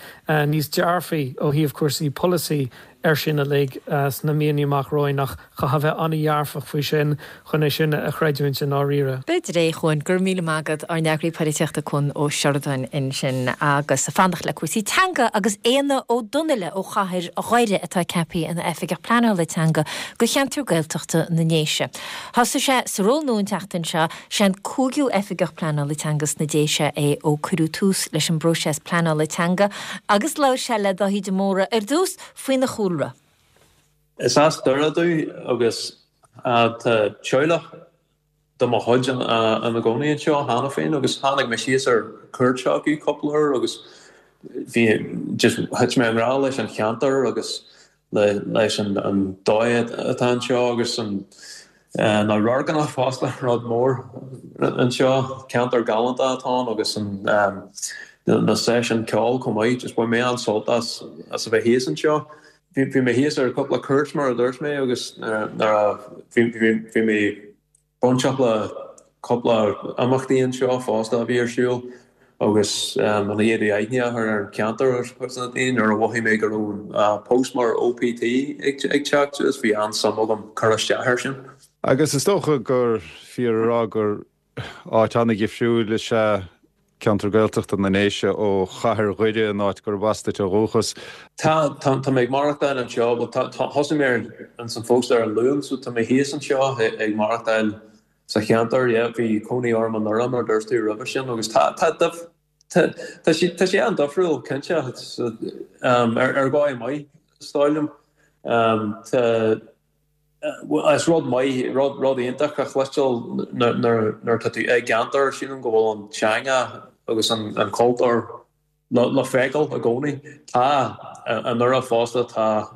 níos dearfaí ó thaobh cúrsaí polasaí air sin uilig sna míonna amach romhainn ach chaithfeá bheith an-dhearfach faoi sin chun é sin a chreidiúint i ndáiríre. B'fhéidir é, a Chuain. Go raibh míle maith agat, ár n-eagraí polaitíochta Cuan Ó Seireadáin ansin. Agus fanacht le cúrsaí teanga agus Éanna Ó Donnaile ó chathair Dhoire atá ceaptha ina Oifigeach Pleanála Teanga do cheantar Gaeltachta na nDéise. Thosaigh sé sa ról nua an tseachtain seo. Sé an cúigiú Oifigeach Pleanála Teanga sna Déise é ó cuireadh tús leis an bpróiseas pleanála teanga agus labhair sé le Dáithí de Mórdha ar dtús faoina chúlra. Is as Doire domh agus tá teaghlach de mo chuid ina gcónaí anseo cheana féin agus tháinig mé síos ar cuairt chucu cúpla uair agus bhí just thit mé i ngrá leis an cheantar agus leis an dóigh atá anseo agus na radharcanna fosta, rud mór anseo. Ceantar galánta atá ann agus na seisiúin ceoil chomh maith. Just bhain mé an-sult as a bheith thíos anseo. Bhí mé thíos ar cúpla cuairt mar a dúirt mé agus nuair a bhí mé bainteach le cúpla imeachtaí anseo fosta a bhí ar siúl agus an chéad aithne a chur ar an cheantar ar chuid de na daoine. Nuair a mhothaigh mé go raibh post mar OPT ag teacht suas, bhí an-suim agam cur isteach air sin. Agus is dócha gur fíor a rá gur áit an-dhifriúil is ea ceantar Gaeltachta na nDéise ó chathair Dhoire, an áit gurb as duit ó dhúchas. Tá, tá mé ag maireachtáil anseo, bhuel tá, thosaigh mé ar an phost ar an Luan so tá mé thíos anseo ag maireachtáil sa cheantar, yeah, bhí cónaí orm i nDoire mar a dúirt tú roimhe sin agus tá, tá, tá, tá sé, tá sé an-difriúil cinnte, ar dhóigh maith is dóigh liom. Tá. Is rud maith, rud iontach a chloisteáil nuair atá tú i gceantar, sílim go bhfuil an teanga agus an cultúr le feiceáil i gcónaí. Tá, i nDoire fosta, tá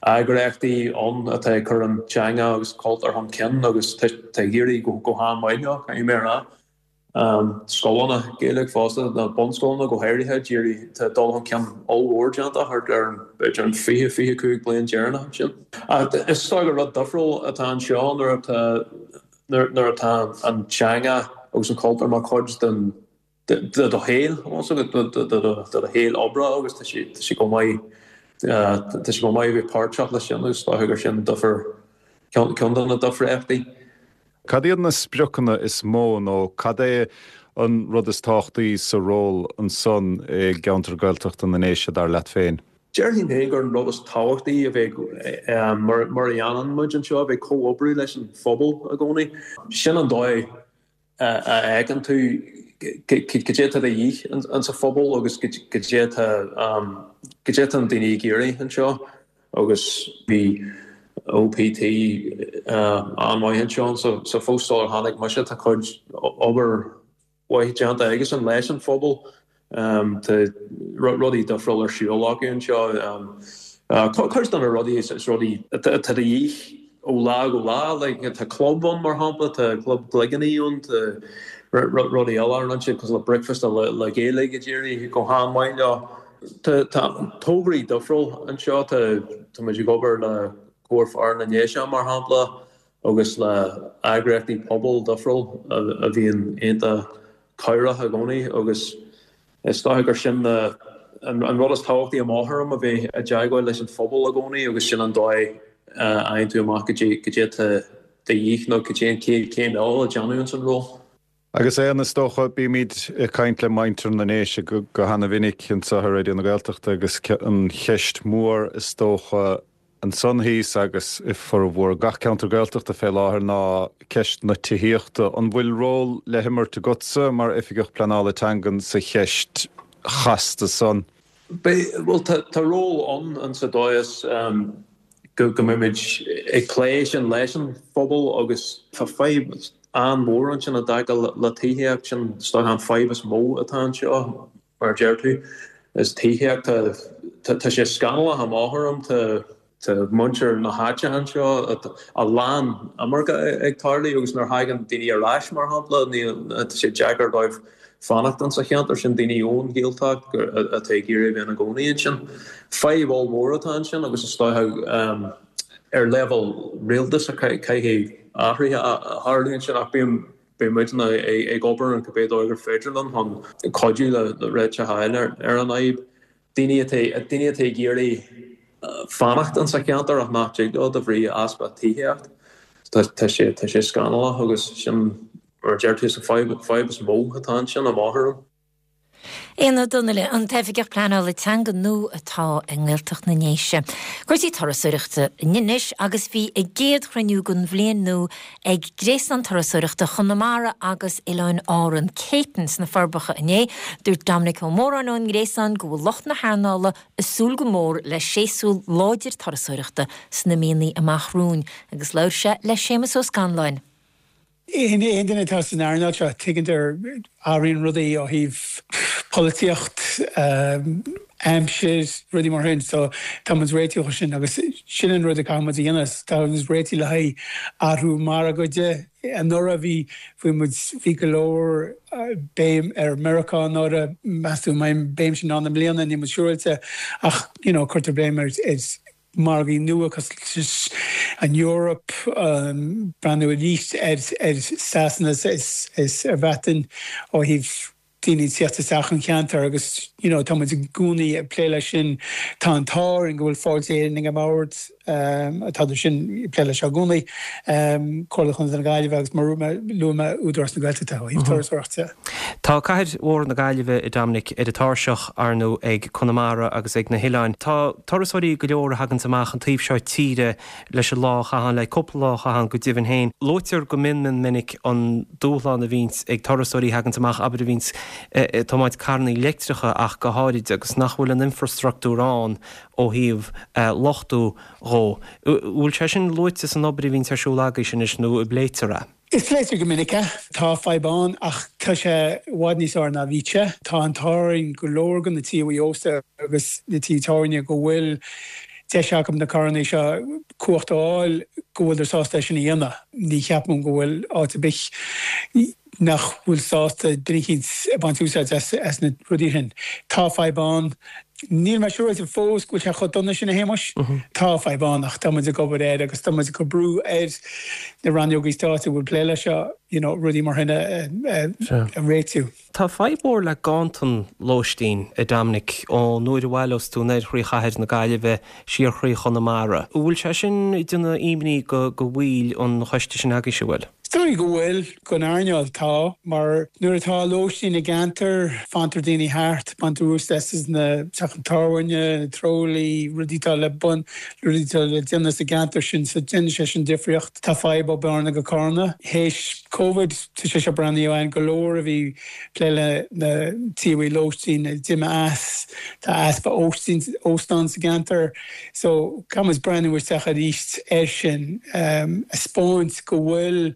eagraíochtaí ann atá ag cur an teanga agus cultúr chun cinn agus tá ag éirí go han-mhaith leo, caithfidh mé a rá. Scoileanna Gaeilge fosta, na bunscoileanna go háirithe, d'éirigh, tá dul chun cinn ollmhór déanta thart ar an, b'fhéidir an 20, 25 bliain deireanach ansin. Ach is dóigh gur rud difriúil atá anseo nuair atá, nuair atá an teanga agus an cultúr mar chuid den, de do shaol, de do shaol oibre agus tá sé, tá sé go maith, tá sé go maith a bheith páirteach leis sin agus is dócha gur sin difear, ceann de na difríochtaí. Cad iad na spriocanna is mó nó cad é an rud is tábhachtaí sa ról ansan i gceantar Gaeltachta na nDéise, dar leat féin? Déarfainn féin gur an rud is tábhachtaí a bheith, mar a dhéanann muid anseo, a bheith ag comhoibriú leis an phobal i gcónaí. Sin an dóigh a fheiceann tú cad é atá de dhíth insa phobal agus cad é atá, cad é atá na daoine ag iarraidh anseo. Agus bhí OPT an-mhaith anseo sa phost sular tháinig mise. Tá cuid obair mhaith déanta aigesan leis an phobal. Tá rudaí difriúil ar siúl acu anseo. Cuid de na rudaí is rudaí atá de dhíth ó lá go lá. Like tá club ann mar shampla, tá club cloigíní ann, tá rudaí eile a rinne siad cosúil le bricfeasta le Gaeilge ag éirí go han-mhaith leo. Tá tograí difriúil anseo. Tá muid ag obair le Comhar Fearann na nDéise, mar shampla. agus le eagraíochtaí pobail difriúil a bhíonn iontach cabhrach i gcónaí agus is dócha gur sin an rud is tábhachtaí i mo thuairim, a bheith i dteagmháil leis an phobal i gcónaí agus sin an dóigh a fhaigheann tú amach cad é atá de dhíth nó cad é an chéad chéim eile le déanamh ins an ról. Agus Éanna, is dócha, bímid ag caint le muintir na nDéise go hana-mhinic anseo ar Raidió na Gaeltachta agus an cheist mhór is dócha ansan thíos agus i formhór gach ceantar Gaeltachta fé láthair ná ceist na tithíochta. An bhfuil ról le himirt agatsa mar Oifigeach Pleanála Teangan sa cheist chasta san? Beidh, bhuel tá ról ann insa dóigh is go mbeimid ag plé sin leis an phobal agus tá fadhb an-mhór ansin i dtaca le tithíocht, sin is dócha an fadhb is mó atá anseo mar a deir tú, is tithíocht, tá sé scannalach i mo thuairim, tá muintir na háite anseo, a lán imirce ag tarlú agus nuair a thagann daoine ar ais mar shampla, tá sé deacair dóibh fanacht insa cheantar sin, daoine ón Ghaeltacht atá ag iarraidh a bheith ina gcónaí ansin. Fadhb ollmhór atá ansin agus is dócha ar leibhéal rialtais caithfidh athruithe a tharlú ansin ach bíonn beidh muidne ag obair ar cibé dóigh gur féidir linn chun cuidiú le réiteach a fháil ar an fhadhb. Daoine atá daoine atá ag iarraidh fanacht insa cheantar ach nach dtig leo de bhrí easpa tithíocht. Tá sé tá sé scannalach agus sin Mar a deir tú, is an fadhb is mó atá ansin i mo thuairim. Éanna Ó Donnaile, an tOifigeach Pleanála Teanga nua atá i nGaeltacht na nDéise. Cúrsaí turasóireachta anois agus bhí a gcéad chruinniú den bhliain nua ag Gréasán Turasóireachta Chonamara agus Oileáin Árann, Céitinn, sna Forbacha inné. Dúirt Dominic Ó Móráin ón nGréasán go bhfuil lucht na hearnála ag súil go mór le séasúr láidir turasóireachta sna míonna amach romhainn agus labhair sé le Séamus Ó Scanláin. Aon duine atá san earnáil seo, tuigeann athraíonn rudaí ó thaobh polaitíocht, aimsir, rudaí mar sin. So tá muid réitithe dó sin agus sin an rud a caithfidh muid a dhéanamh. Tá muid réitithe le haghaidh athrú margaidh de. Anuraidh bhí, bhí muid, bhí go leor béim ar Meiriceá anuraidh. Meas tú an mbeidh an béim sin ann i mbliana? Níl muid siúráilte ach you know cuirtear béim ar margaí nua cosúil leis an Eoraip, breathnú arís ar Sasana is ar Bhreatain ó thaobh daoine ag tíocht isteach an cheantar agus you know tá muid i gcónaí ag plé leis sin. Tá an t-ádh orainn go bhfuil Fáilte Éireann ag an mbord, tá sin ag plé leis seo i gcónaí, Comhairle Chontae na Gaillimhe agus mar a luaigh mé Údarás na Gaeltachta ó thaobh turasóireachta. Tá cathair mhór na Gaillimhe, a Dominic, ar an tairseach, ar ndóigh, ag Conamara agus ag na hoileáin. Tá turasóirí go leor a thaganns amach an taobh seo tíre leis an lá a chaitheamh, le cúpla lá a chaitheamh go deimhin féin. Luaitear go mion mion minic an dúshlán a bhíonns ag turasóirí a thaganns amach, abair, a bhíonns ag tiomáint carrannaí leictreacha ach go háirid, agus nach bhfuil an infreastruchtúr ann ó thaobh luchtú dhó. Bhfuil sé sin luaite san obair a bhíonns ar siúl agaibhse anois nó an bpléitear é? Is pléitear go minic é. Tá fadhb ann ach tá sé i bhfad níos fearr ná bhí sé. Tá an t-ádh orainn go leor de na tithe ósta agus na tithe tábhairne go bhfuil deis acu na carranna seo cumhacht a fháil go bhfuileadar sásta é sin a dhéanamh. Ní cheapaim go bhfuil áit ar bith nach bhfuil sásta duine eicínt ag baint úsáid as na rudaí sin. Tá fadhb ann. Níl mé siúráilte fós go bhfuil sé chomh dona sin, a Shéamais. Tá fadhb ann ach tá muid ag obair air agus tá muid ag cur brú ar na rannógaí stáit a bhfuil plé leis seo, you know, rudaí mar sin a réitiú. Tá fadhb mhór le ganntan lóistín, a Dominic, ón uair a bhaileos tú anoir thrí chathair na Gaillimhe siar thrí Chonamara. An bhfuil sé sin ag déanamh imní go bhaill an choiste sin agaibhse, an bhfuil? Is dóigh go bhfuil, don earnáil, tá, mar nuair atá lóistín i gceantar, fantar daoine thart, baintear úsáid as na teach tábhairne, na trólí, rudaí atá le bun, rudaí atá le déanamh sa gceantar sin, so déanann sé sin difríocht. Tá fadhb ó Bearna go Carna. Théis Covid, tá sé seo breathnaíodh ann, go leor a bhí plé le na tithe lóistín d'imigh as, tá easpa óistín, óstán sa gceantar. So, caithfidh muid breathnú isteach arís air sin, a 'speáint go bhfuil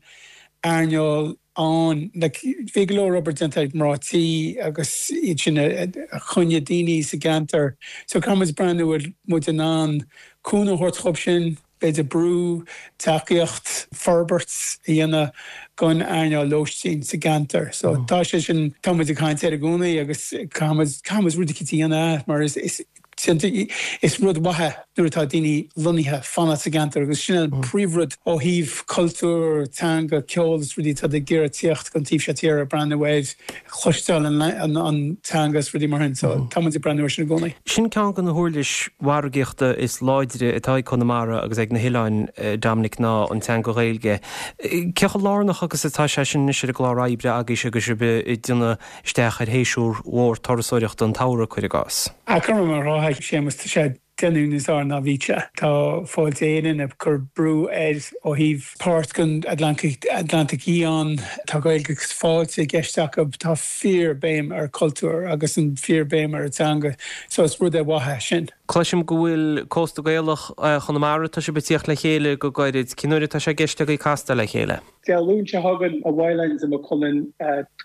earnáil ann. Like, bhí go leor obair déanta ag mná tí agus iad sin a choinnigh daoine sa gceantar. So, caithfidh muid breathnú an bhfuil muid in ann cúnamh a thabhairt dhóibh sin, b'fhéidir brú, tacaíocht, forbairt a dhéanamh don earnáil lóistín sa gceantar. So, tá sé sin, tá muid ag caint air i gcónaí agus caithfidh muid, caithfidh muid rud eicínt a dhéanamh mar is, is. Is rud mhaith é nuair atá daoine lonnaithe fanacht sa gceantar agus sin an príomhrud ó thaobh cultúr, teanga, ceol is rudaí atá ag iarraidh tíocht go an taobh seo tíre, breathnú air, cloisteáil an teanga is rudaí mar sin. So tá muid ag breathnú air sin i gcónaí. Sin ceann de na huirlis mhargaíochta is láidre atá ag Conamara agus ag na hoileáin, Dominic, ná an teanga Ghaeilge. Cé chomh lárnach agus atá sé sin anois ar an gclár oibre agaibhse agus sibh ag déanamh isteach ar shéasúr mhór turasóireachta an tsamhraidh, cuir i gcás? Cothrom an rátha, Séamus, tá sé déanamh níos fearr ná bhí sé. Tá Fáilte Éireann ag cur brú air ó thaobh páirt den Atlantach Fhiáin. Tá Gaeilge agus Fáilte i gceist acu. Tá fíor béim ar cultúr agus an fíor béim ar an teanga so is rud é mhaith é sin. Cloisim go bhfuil Cósta Gaelach Chonamara, tá sibh ag tíocht le chéile go gairid. Cén uair atá sé i gceist agaibh castáil le chéile? Dé Luain seo chugainn i Whylands i Maigh Cuilinn,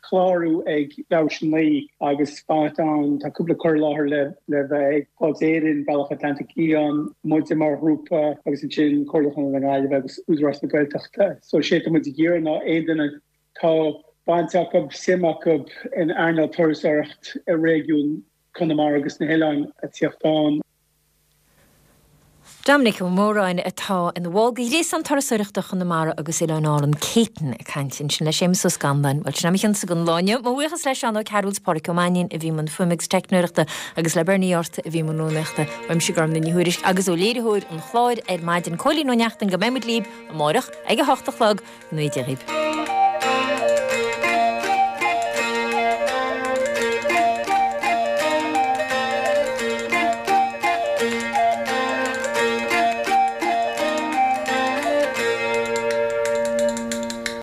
clárú ag leathuair tar éis a 9 agus fanacht ann. Tá cúpla cur i láthair le bheith ag Fáilte Éireann, Bealach Atlantach Fhiáin, muide mar ghrúpa agus ansin Comhairle Chontae na Gaillimhe agus Údarás na Gaeltachta. So sé atá muid ag iarraidh ná aon duine tá baint acu, suim acu in earnáil turasóireacht i réigiún Conamara agus na hOileáin a tíocht ann. Dominic Ó Móráin atá ina bhall de Ghréasán Turasóireachta Chonamara agus Oileáin Árann, Céitain, ag caint ansin le Séamus Ó Scanláin. Bhuel, sin é mo chionsa don lá inniu. Mo bhuíochas le Seán Ó Cearúil 's Pádraic Ó Mainnín a bhí i mbun fuaime agus teicneoireachta agus le Bernie Arthur a bhí i mbun rúnaíochta. Uaimse Gormlaith Ní Thuairisg agus ó léiritheoir an chláir ar maidin, Cóilín Ó Neachtain, go mbeidh muid libh amárach ag a hocht a chlog. Go ngnóthaí Dia dhaoibh.